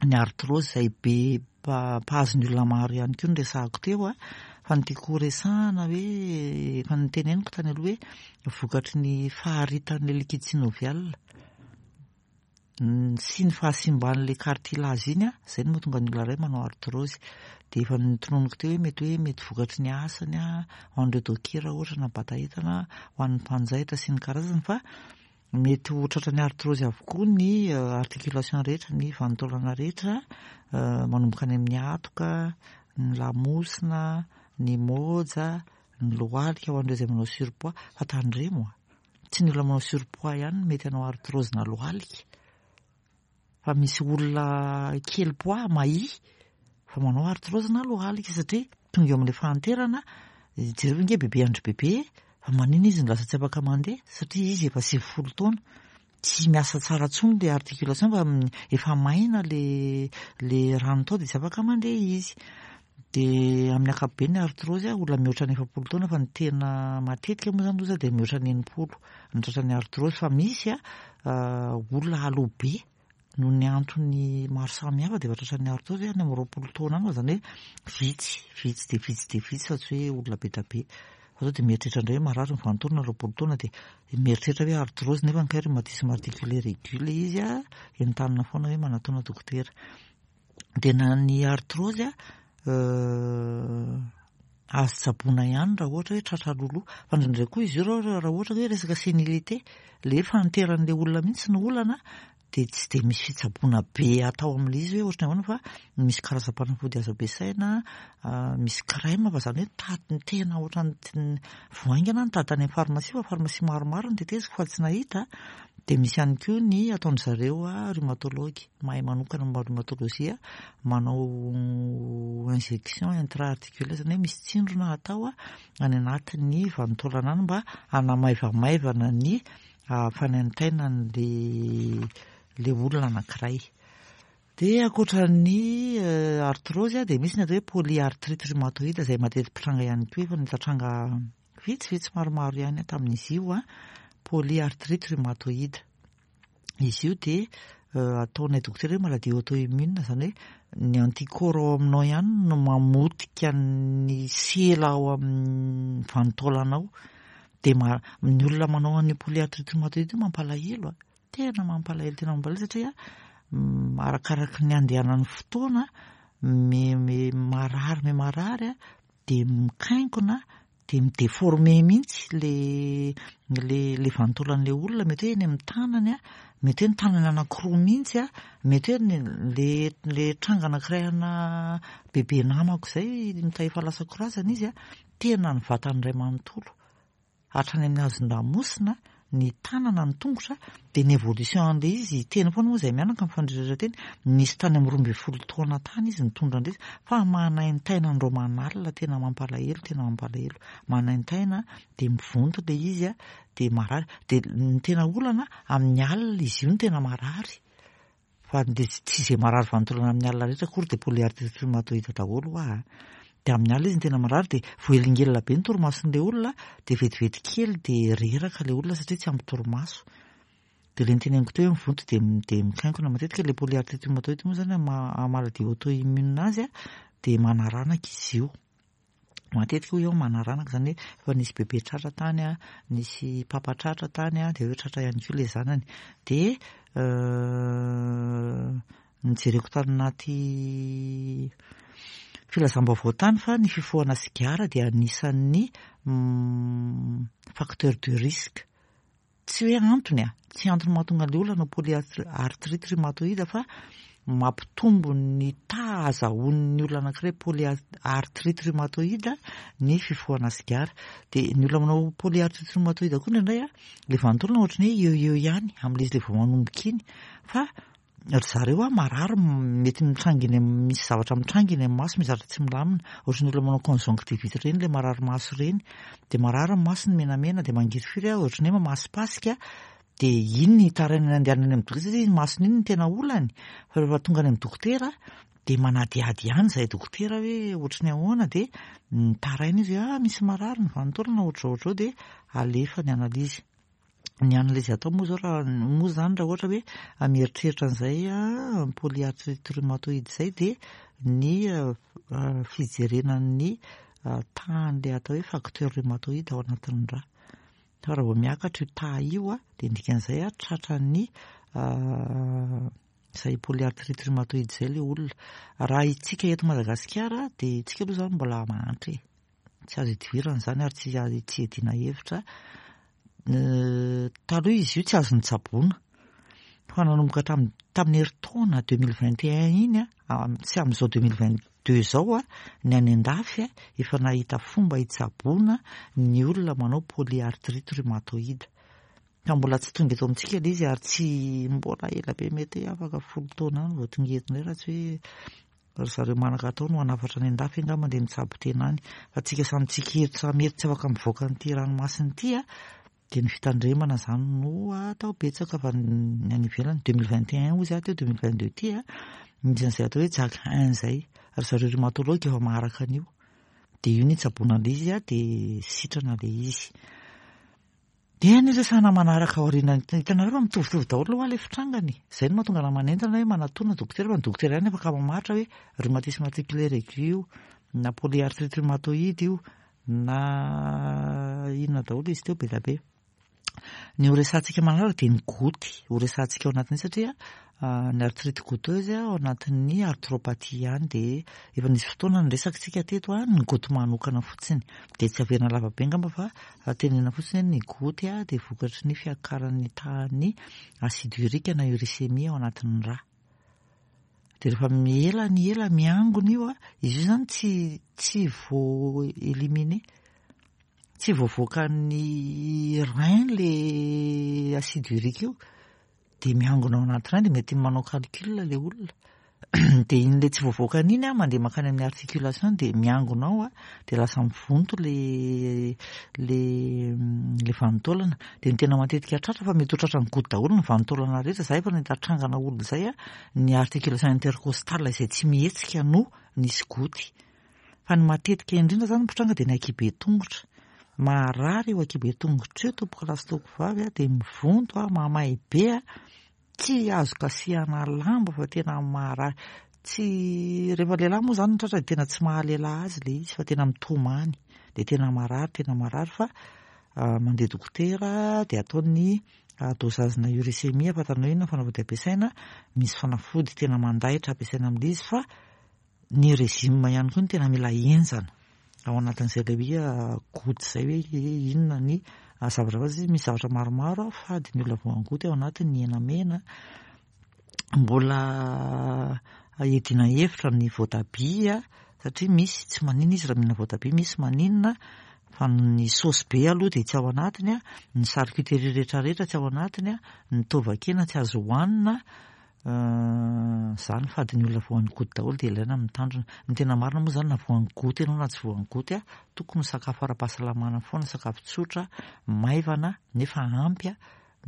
ny arthrose izay be mpahazo ny olona maro ihany koa no resahako teo a, fa ny tiako horesahana hoe efa noteneniko tany aloha hoe vokatry ny faharitan'ilay liquide synovial sy ny fahasimban'ilay cartilage iny a, izay no mahatonga ny olona iray manao arthrose. Dia efa notononiko teo hoe mety hoe mety vokatry ny asany a, ho an'ireo dokera ohatra na bata entana, ho an'ny mpanjaitra sy ny karazany fa mety ho tratran'ny arthrose avokoa ny articulation rehetra, ny vanin-taolana rehetra, manomboka any amin'ny hatoka, ny lamosina, ny môja, ny lohalika ho an'ireo izay manao surpoids, fa tandremo a. Tsy ny olona manao surpoids ihany no mety hanao arthrose na lohalika fa misy olona kely poids mahia fa manao arthrose na lohalika satria tonga eo amin'ilay fahanterana, jereo ange bebe andry bebe fa manina izy no lasa tsy afaka mandeha satria izy efa 90 taona, tsy miasa tsara intsony ilay articulation fa efa maina le rano tao dia tsy afaka mandeha izy. Dia amin'ny ankapobeny ny arthrose olona mihoatra ny 40 taona fa ny tena matetika moa izany loza dia mihoatra ny 60 ny tratran'ny arthrose fa misy olona aloha be noho ny antony maro samihafa dia efa tratran'ny arthrose any amin'ny 20 taona any fa izany hoe vitsy, vitsy dia vitsy dia vitsy fa tsy hoe olona be dia be. Fa sao dia mieritreritra indray hoe marary ny vanin-taolana 20 taona dia mieritreritra hoe arthrose nefa ny kay rhumatisme articulaire aigu ilay izy a, entanina foana hoe manatona dokotera. Dia na ny arthrose azo tsaboina ihany raha ohatra hoe tratra loloha. Fa indraindray koa izy io raha ohatra hoe resaka sénilité, ilay hoe fahanteran'ilay olona mihitsy no olana dia tsy dia misy fitsaboana be atao amin'ilay izy hoe ohatran'ny ahoana fa misy karazam-panafody azo ampiasaina, misy crème fa izany hoe tady ny tena ohatran'ny vao haingana nitady tany amin'ny pharmacie fa pharmacie maromaro no teteziko fa tsy nahita. Dia misy ihany koa ny ataon-dry zareo rhumatologue, mahay manokana momba ny rhumatologie, manao injection intra-articulaire izany hoe misy tsindrona atao any anatin'ny vanin-taolana any mba hanamaivamaivana ny fanaintainan'ilay olona anankiray. Dia ankoatra ny arthrose dia misy ny atao hoe polyarthrite rhumatoïde izay mateti-pitranga ihany koa, efa nahita tranga vitsivitsy maromaro ihany aho tamin'izy io, polyarthrite rhumatoïde. Izy io dia ataonay dokotera hoe maladie auto-immune, izany hoe ny anticorps ao aminao ihany no mamotika ny sela ao amin'ny vanin-taolanao. Dia ny olona manao an'io polyarthrite rhumatoïde io mampalahelo a. Tena mampalahelo, tena mampalahelo satria arakaraky ny andehanan'ny fotoana me marary, me marary dia mikainkona dia mi-déformer mihitsy le le le vanin-taolan'ilay olona, mety hoe eny amin'ny tanany, mety hoe ny tanany anankiroa mihitsy, mety hoe ny le le tranga anankiray ana bebe namako izay efa lasa korazana izy, tena ny vatany iray manontolo. Hatrany amin'ny hazon-damosina, ny tanana, ny tongotra, dia ny évolution an'ilay izy, teny foana moa izahay mianaka mifandreratra teny, nisy tany amin'ny 12 taona tany izy nitondra an'ilay izy, fa manaintaina andro aman'alina, tena mampalahelo, tena mampalahelo, manaintaina, dia mivonto ilay izy, dia marary, dia ny tena olana amin'ny alina izy io no tena marary. Fa dia tsy izay marary vanin-taolana amin'ny alina rehetra akory dia polyarthrite rhumatoïde daholo hoa a. Dia amin'ny alina izy no tena marary dia voahelingelina be ny torimason'ilay olona dia vetivety kely dia reraka ilay olona satria tsy ampy torimaso. Dia ilay noteneniko teo hoe mivonto dia dia mikainkona matetika ilay polyarthrite rhumatoïde moa izany amin'ny maha maladie auto-immune azy dia manaranaka izy io. Matetika hoy aho manaranaka izany hoe efa nisy bebe tratra tany an, nisy papa tratra tany an, dia hoe tratra ihany koa ilay zanany. Dia nojereko tany anaty filazam-baovao tany fa ny fifohana sigara dia anisan'ny facteur de risque. Tsy hoe antony a, tsy antony mahatonga an'ilay olona hanao polyarthrite rhumatoïde fa mampitombo ny taha azahoan'ny olona anankiray polyarthrite rhumatoïde ny fifohana sigara. Dia ny olona manao polyarthrite rhumatoïde koa indraindray a, ilay vanin-taolana ohatran'ny hoe eo eo ihany amin'ilay izy ilay vao manomboka iny fa Ry zareo a marary mety mitranga eny amin'ny misy zavatra mitranga eny amin'ny maso, misy zavatra tsy milamina. Ohatran'ny olona manao conjonctivite ireny ilay marary maso ireny. Dia marary ny masony menamena dia mangirifiry a, ohatran'ny hoe mamasipasika. Dia iny ny itarainany andehanany any amin'ny dokotera satria iny masony iny no tena olany. Fa rehefa tonga any amin'ny dokotera dia manadihady ihany izahay dokotera hoe ohatran'ny ahoana dia mitaraina izy hoe ah misy marary ny vanin-taolana ohatr'izao ohatr'izao dia alefa ny analyse. Ny analyse atao moa zao raha moa zany raha ohatra hoe mieritreritra an'izay polyarthrite rhumatoïde izay dia ny fijerena ny tahan'ilay atao hoe facteur rhumatoïde ao anatin'ny rà. Fa raha vao miakatra io taha io dia ny dikan'izay tratran'ny izay polyarthrite rhumatoïde izay ilay olona. Raha isika eto Madagasikara dia isika aloha izany mbola mahantra e. Tsy azo idivirana izany ary tsy azo tsy iadiana hevitra. Taloha izy io tsy azo nitsaboana. Fa nanomboka tamin'ny tamin'ny herintaona 2021 iny, tsy amin'izao 2022 izao, ny any an-dafy efa nahita fomba hitsaboana ny olona manao polyarthrite rhumatoïde. Fa mbola tsy tonga eto amintsika ilay izy ary tsy mbola ela be mety hoe afaka 10 taona any vao tonga eto indray raha tsy hoe Ry zareo manaka atao no hanafatra any an-dafy angamba dia mitsabo tena any. Fa tsika samy tsika eto samy eto tsy afaka mivoaka an'ity ranomasina ity a, dia ny fitandremana izany no atao betsaka fa ny any ivelany 2021 hoy za teo 2022 ity a, misy an'izay atao hoe JAK 1 izay. Ry zareo rhumatologue efa maharaka an'io. Dia io no itsaboana an'ilay izy a, dia sitrana ilay izy. Dia ny resahana manaraka aoriana, hitanareo fa mitovitovy daholo hoa ilay fitrangany e. Izay no mahatonga anah manentana hoe manatona dokotera fa ny dokotera ihany afaka mamaritra hoe rhumatisme articulaire aigu io, na polyarthrite rhumatoïde io, na inona daholo izy teo be dia be. Ny ho resahantsika manaraka dia ny goty, ho resahantsika ao anatin'izay satria ny arthrite goutteuse ao anatin'ny arthropathie ihany dia efa nisy fotoana niresaka isika teto ny goty manokana fotsiny dia tsy averina lava be angamba fa tenenina fotsiny hoe ny goty dia vokatry ny fiakaran'ny tahan'ny acide urique na uricémie ao anatin'ny rà. Dia rehefa ela ny ela miangona io, izy io izany tsy tsy vo éliminer, tsy voavoakan'ny rein le acide urique io. Dia miangona ao anaty rein dia mety manao calcul ilay olona. Dia iny ilay tsy voavoakany iny an, mandeha mankany amin'ny articulation dia miangona ao an, dia lasa mivonto ilay ilay ilay vanin-taolana. Dia ny tena matetika tratra fa mety ho tratran'ny goutte daholo ny vanin-taolana rehetra. Izaho efa nahita trangana olona izay an, ny articulation intercostale izay tsy mihetsika no nisy goutte. Fa ny matetika indrindra izany mpitranga dia ny ankihibe tongotra. Maharary io ankihibe tongotra io tompokolahy sy tompokovavy an, dia mivonto an, mamay be an. Tsy azo kasihana lamba fa tena maharary. Tsy, rehefa lehilahy moa izany no tratra dia tena tsy maha lehilahy azy ilay izy fa tena mitomany. Dia tena marary, tena marary fa mandeha dokotera dia atao ny dosage-na uricémie ahafantarana hoe inona ny fanafody ampiasaina. Misy fanafody tena mandaitra ampiasaina amin'ilay izy fa Ny régime ihany koa no tena mila henjana ao anatin'izay ilay hoe goutte izay hoe inona ny zavatra fa misy zavatra maromaro fady ny olona voan'ny goutte ao anatiny ny hena mena, mbola iadiana hevitra ny voatabia satria misy tsy maninona izy raha mihinana voatabia, misy maninona fa ny saosy be aloha dia tsy ao anatiny, ny charcuterie rehetrarehetra tsy ao anatiny, ny taovan-kena tsy azo hohanina. Zany fady ny olona voan'ny goutte daholo dia ilaina ny mitandrina. Ny tena marina moa zany na voan'ny goutte ianao na tsy voan'ny goutte, tokony ho sakafo ara-pahasalamana foana, sakafo tsotra, maivana nefa ampy,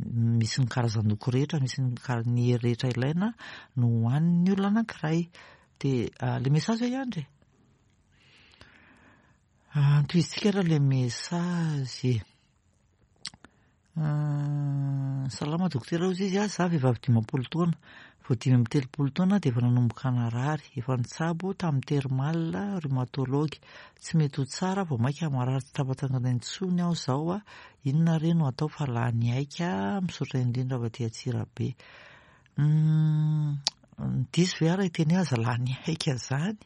misy ny karazan-doko rehetra, misy ny kara- ny hery rehetra ilaina no hohanin'ny olona anankiray. Dia le message ve hiandry e? Antohizintsika ary le message e. Salama dokotera hozy izy a, za vehivavy 50 taona, vao 35 taona dia efa nanomboka narary, efa nitsabo tamin'ny thermal, rhumatologue, tsy mety ho tsara vao maika marary tsy tafatsangana intsony aho zao a, inona re no atao fa lany aika, misaotra indrindra avy aty Antsirabe. Diso ve aho raha hiteny hoe aza lany aika zany?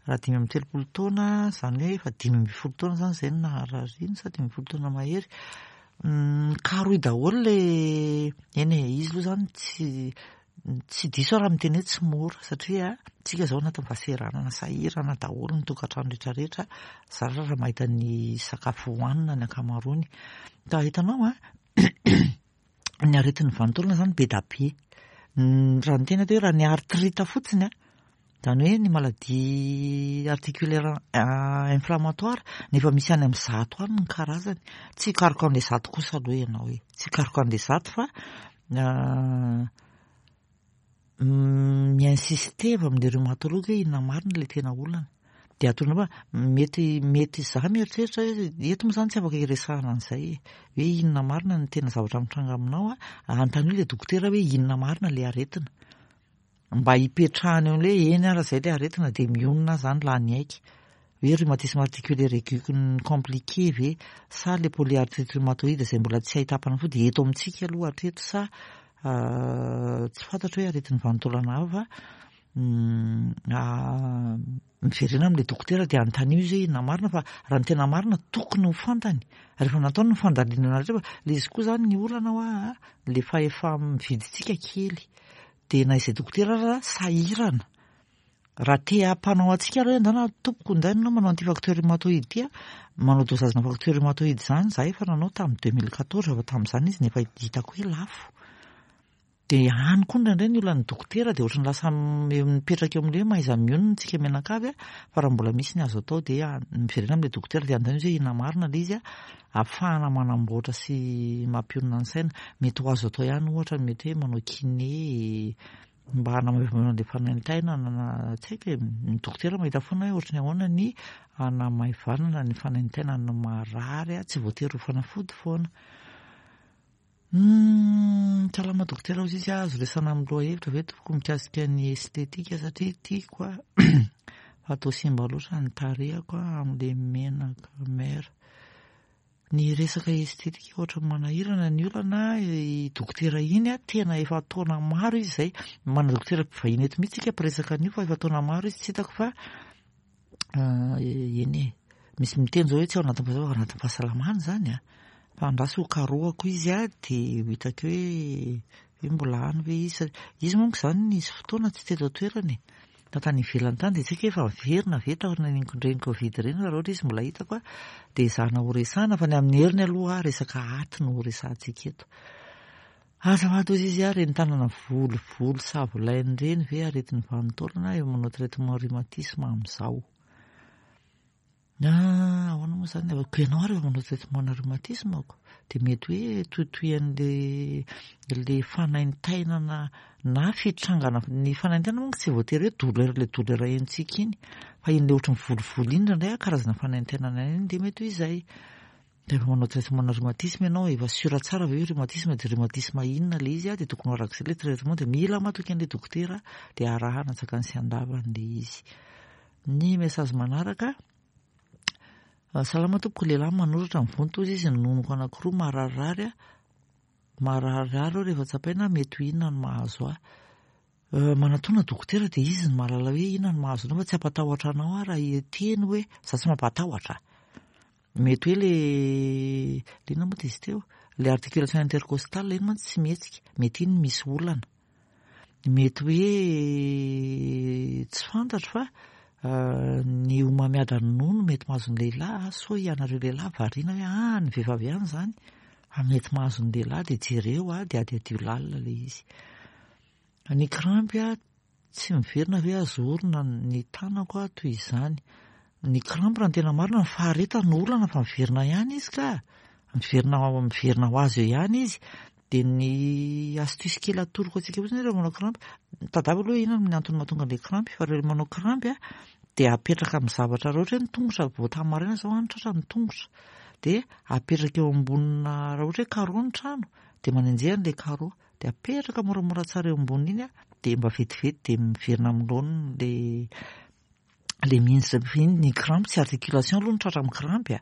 Raha 35 taona, izany hoe efa 15 taona izany izay no naharariana sa 15 taona mahery. Karohy daholo ilay, eny e, izy aloha izany tsy tsy diso aho raha miteny hoe tsy mora satria tsika izao anatin'ny fahasahiranana, sahirana daholo ny tokantrano rehetra rehetra, zara raha mahita ny sakafo hohanina ny ankamaroany. Ka hitanao an, ny aretin'ny vanin-taolana izany be da be. Raha ny tena atao hoe raha ny arthrite fotsiny an, izany hoe ny maladie articulaire inflammatoire nefa misy any amin'ny 100 any ny karazany. Tsy hikaroka an'ilay 100 kosa aloha ianao e. Tsy hikaroka an'ilay 100 fa mi-insister avy amin'ilay rhumatologue hoe inona marina ilay tena olana. Dia atorony fa mety mety izaho mieritreritra hoe eto moa izany tsy afaka hiresahana an'izay e. Hoe inona marina ny tena zavatra mitranga aminao a, anontanio ilay dokotera hoe inona marina ilay aretina. Mba hipetrahany eo amin'ilay hoe eny ara izay ilay aretina dia mionona aho izany lany aika. Hoe rhumatisme articulaire aigu compliqué ve sa le polyarthrite rhumatoïde izay mbola tsy ahitam-panafody eto amintsika aloha hatreto sa tsy fantatro hoe aretin'ny vanin-taolana hafa miverena amin'ilay dokotera dia anontanio izy hoe inona marina fa raha ny tena marina tokony ho fantany rehefa nataony ny fandalinana rehetra fa ilay izy koa izany ny olana hoa le fahefa-mividintsika kely dia na izay dokotera ara sahirana Raha te hampanao antsika aloha ianao na tompoko indray ianao manao an'ity facteur rhumatoïde ity a, manao dosage-na facteur rhumatoïde izany izaho efa nanao tamin'ny 2014 fa tamin'izany izy nefa hitako hoe lafo. Dia any koa indraindray ny olan'ny dokotera dia ohatran'ny lasa mipetraka eo amin'ilay hoe mahaiza mionona isika mianakavy a, fa raha mbola misy ny azo atao dia miverena amin'ilay dokotera dia anontaniana izy hoe inona marina ilay izy a, ahafahana manamboatra sy mampionona ny saina. Mety ho azo atao ihany ohatra ny mety hoe manao kiné, mba hanamaivanana an'ilay fanaintainana na tsy haiko e, ny dokotera mahita foana hoe ohatry ny ahoana ny hanamaivanana ny fanaintainana marary a, tsy voatery ho fanafody foana. Salama dokotera hozy izy, azo resahana amin'ny lohahevitra ve tompoko mikasika ny estetika satria tiako a, fa toa simba loatra ny tarehiko amin'ilay menaka mère. Ny resaka estetika ohatran'ny manahirana ny olana, i dokotera iny a, tena efa taona maro izy izay, manana dokotera mpivahiny eto mihitsy isika mpiresaka an'io fa efa taona maro izy tsy hitako fa eny e, misy miteny izao hoe tsy ao anatin'ny fahasalamana, ao anatin'ny fahasalamana izany a, fa andraso ho karohako izy a, dia ho hitako hoe hoe mbola any ve izy, izy manko izany nisy fotoana tsy teto an-toerana e. Fa tany ivelany tany dia tsy haiko hoe efa niverina ve taorian'ireny covid ireny fa raha ohatra izy mbola hitako dia ezahana ho resahana fa ny amin'ny heriny aloha resaka aty no ho resahantsika eto. Azafady hozy izy a, reny tanana volovolo savolainy ireny ve aretin'ny vanin-taolana eo manao traitement rhumatisme amin'izao? Ah, ahoana moa izany? Ko ianao ary efa manao traitement na rhumatisme ko, dia mety hoe tohitohian'le le fanaintainana na fitrangana, ny fanaintainana manko tsy voatery hoe douleur le douleur henontsika iny, fa iny le ohatran'ny volovolo iny indraindray karazana fanaintainana iny dia mety ho izay. Rehefa manao traitement na rhumatisme ianao, efa sûr tsara ve hoe rhumatisme dia rhumatisme inona le izy, dia tokony ho arak'izay le traitement, dia mila matoky an'ilay dokotera dia arahana antsakany sy andavany le izy. Ny message manaraka, salama tompoko, lehilahy manoratra mivonto hozy izy, ny nonoko anankiroa mararirary aho, mararirary aho rehefa tsapaina mety ho inona no mahazo ahy. Manatona dokotera dia izy no mahalala hoe inona no mahazo anao fa tsy hampatahotra anao aho raha hiteny hoe za tsy mampatahotra. Mety hoe le le inona moa izy teo? Le articulation intercostale iny mantsy tsy mihetsika, mety iny misy olana. Mety hoe tsy fantatro fa ny homamiadan'ny nono mety mahazo ny lehilahy, sao ianareo lehilahy variana hoe ah ny vehivavy ihany izany, fa mety mahazo ny lehilahy dia jereo ah, dia adiadio lalina ilay izy. Ny krampy ah, tsy miverina ve azo orina ny tanako ah toy izany. Ny krampy raha ny tena marina ny faharetany no olana fa miverina ihany izy ka, miverina miverina ho azy eo ihany izy. Dia ny astuce kely atoroko antsika fotsiny rehefa manao krampy, tadiavo aloha inona ny antony mahatonga an'ilay krampy, fa rehefa manao krampy a, dia apetraka amin'ny zavatra, raha ohatra hoe ny tongotra vao tamin'ny maraina izao an, tratra ny tongotra, dia apetraka eo ambonina, raha ohatra hoe carreau ny trano, dia manenjeha an'ilay carreau, dia apetraka moramora tsara eo amboniny iny an, dia mba vetivety dia miverina amin'ny laoniny ilay le mihinjitra be iny, ny crampe tsy articulation aloha no tratra amin'ny crampe a,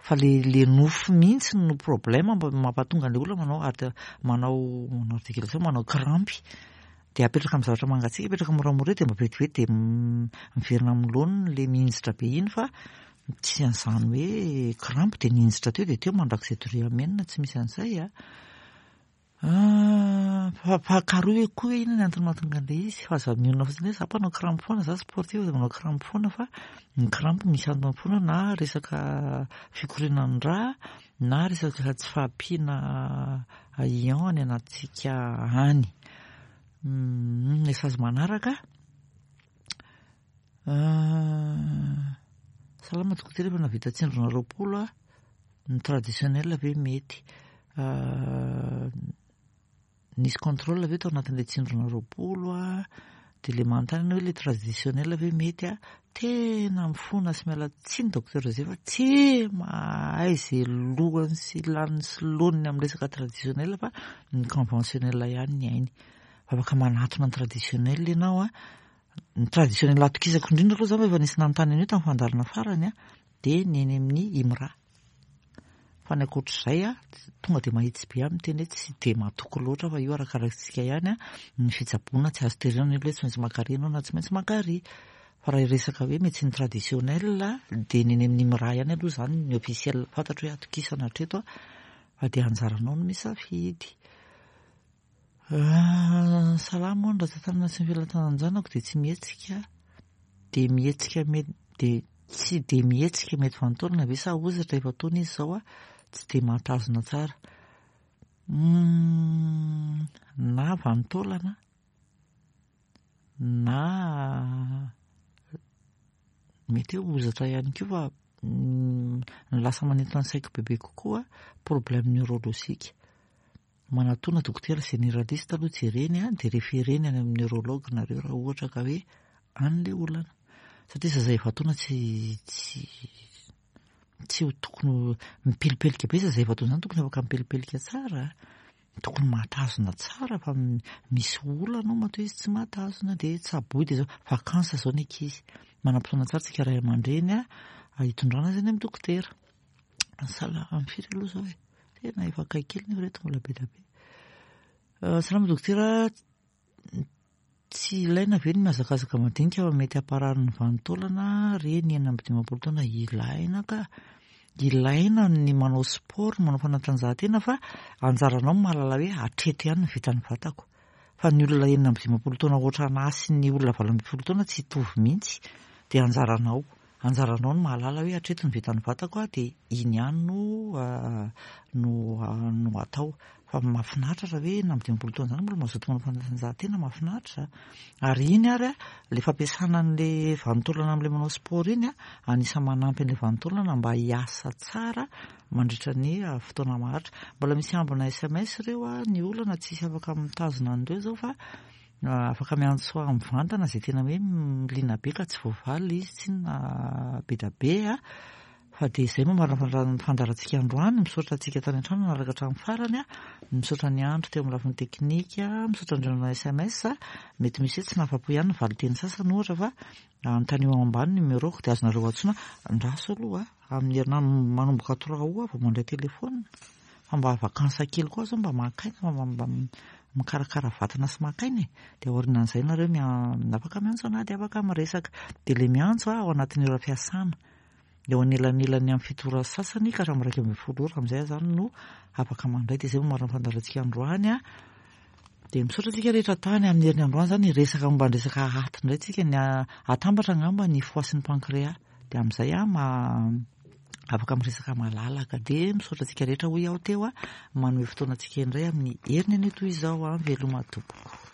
fa le le nofo mihitsy no problème mba mampatonga an'le olona manao art manao manao articulation manao crampe, de apetraka amin'ny zavatra mangatsiaka, apetraka moramora eo de mba vetivety de miverina amin'ny laoniny le mihinjitra be iny fa tsy an'izany hoe crampe de nihinjitra teo de teo mandrakizay doria amenina tsy misy an'izay a. Ah, fa fa karohy hoe koa hoe inona ny antony mahatonga an'ilay izy fa aza mionona fotsiny hoe za mpanao crampe foana, za sportif dia manao crampe foana fa ny crampe misy antony foana na resaka fikorianan'ny rà na resaka tsy fahampiana ion any anatintsika any. Message manaraka. Salama dokotera, efa nahavita tsindrona 20 aho. Ny traditionnel ve mety? Nisy contrôle ve tao anatin'ilay tsindrona 20 a? Dia ilay manontany ianao hoe ilay traditionnel ve mety a? Tena mifona sy miala tsiny docteur José fa tsy mahay izay lohany sy laniny sy laoniny amin'ny resaka traditionnel fa ny conventionnel ihany ny hainy. Fa afaka manatona ny traditionnel ianao a. Ny traditionnel atokisako indrindra aloha izany fa efa nisy nanontany an'io tamin'ny fandaharana farany a, dia ny eny amin'ny IMRA. Fa ny ankoatr'izay a, tonga dia mahitsy be aho miteny hoe tsy dia matoky loatra fa io arakarakintsika ihany a, ny fitsaboana tsy azo terena nefa hoe tsy maintsy mankary ianao na tsy maintsy mankary. Fa raha hiresaka hoe médecine traditionnelle dia ny eny amin'ny IMRA ihany aloha izany ny officiel fantatro hoe atokisana hatreto a, fa dia anjaranao no misafidy. Salama hono, raha tantanana sy ny filantanan-janako dia tsy mihetsika, dia mihetsika mety, dia tsy dia mihetsika mety vanin-taolana ve sa hozatra efa taona izy izao a, tsy dia mahatazona tsara. Na vanin-taolana na mety hoe hozatra ihany koa fa ny lasa manintona ny saiko bebe kokoa problème neurologique. Manatona dokotera généraliste aloha jereny a, dia référeny any amin'ny neurologue nareo raha ohatra ka hoe any le olana. Satria zaza efa-taona tsy tsy tsy ho tokony ho mipelipelika be zaza efa-taona zany tokony afaka mipelipelika tsara, tokony mahatazona tsara fa misy olana ao matoa izy tsy mahatazona dia tsaboy dia zao, vacances zao ny ankizy. Manam-potoana tsara tsika ray aman-dreny a, hitondrana azy any amin'ny dokotera. Salama, firy aloha zao e? Tena efa akaiky kely nefa reto mbola be dia be. Salama dokotera, tsy ilaina ve ny mihazakazaka madinika fa mety hamparary ny vanin-taolana reny 56 taona? Ilaina ka, ilaina ny manao sport, manao fanatanjahantena fa anjaranao ny mahalala hoe hatreto ihany ny vitan'ny vatako. Fa ny olona 56 taona ohatran'ahy sy ny olona 18 taona tsy hitovy mihitsy, dia anjaranao. Anjaranao ny mahalala hoe hatreto ny vitan'ny vatako dia iny ihany no no no atao. Fa mahafinaritra raha hoe 56 taona izany mbola mazoto manao fanatanjahantena, mahafinaritra. Ary iny ary a, ilay fampiasana an'ilay vanin-taolana amin'ilay manao sport iny a, anisan'ny manampy an'ilay vanin-taolana mba hiasa tsara mandritra ny fotoana maharitra. Mbola misy ambina sms ireo a, ny olana tsisy afaka mitazona an'ireo izao fa afaka miantso ahy mivantana izay tena hoe liana be ka tsy voavaly ilay izy tsinona be dia be a. Fa dia izay no marina fandaharantsika androany, misaotra antsika tany an-trano nanaraka hatramin'ny farany, misaotra ny andro teo amin'ny lafiny teknika, misaotra an'ireo nanao sms, mety misy hoe tsy nahafa-po ihany ny valin-teny sasany ohatra fa anontanio ao ambany ny numéro-ko dia azonareo antsoina, andraso aloha amin'ny herinandro manomboka trois août aho vao mandray téléphone fa mba vacances kely koa aho zao mba maka aina mba mba mikarakara vatana sy maka aina e, dia aorianan'izay nareo afaka miantso anah dia afaka miresaka, dia ilay miantso ao anatin'ny ora fiasana. Eo anelanelan'ny amin'ny 7 ora sasany ka hatramin'ny 11 ora amin'izay aho izany no afaka mandray. Dia izay no marina fandaharantsika androany a. Dia misaotra antsika rehetra tany amin'ny heriny androany izany hiresaka momba ny resaka aty indray tsika, ny atambatra angamba ny foie sy ny pancréas. Dia amin'izay aho ma afaka miresaka malalaka. Dia misaotra antsika rehetra hoy aho teo a, manome fotoana antsika indray amin'ny heriny anio toy izao a. Veloma tompoko.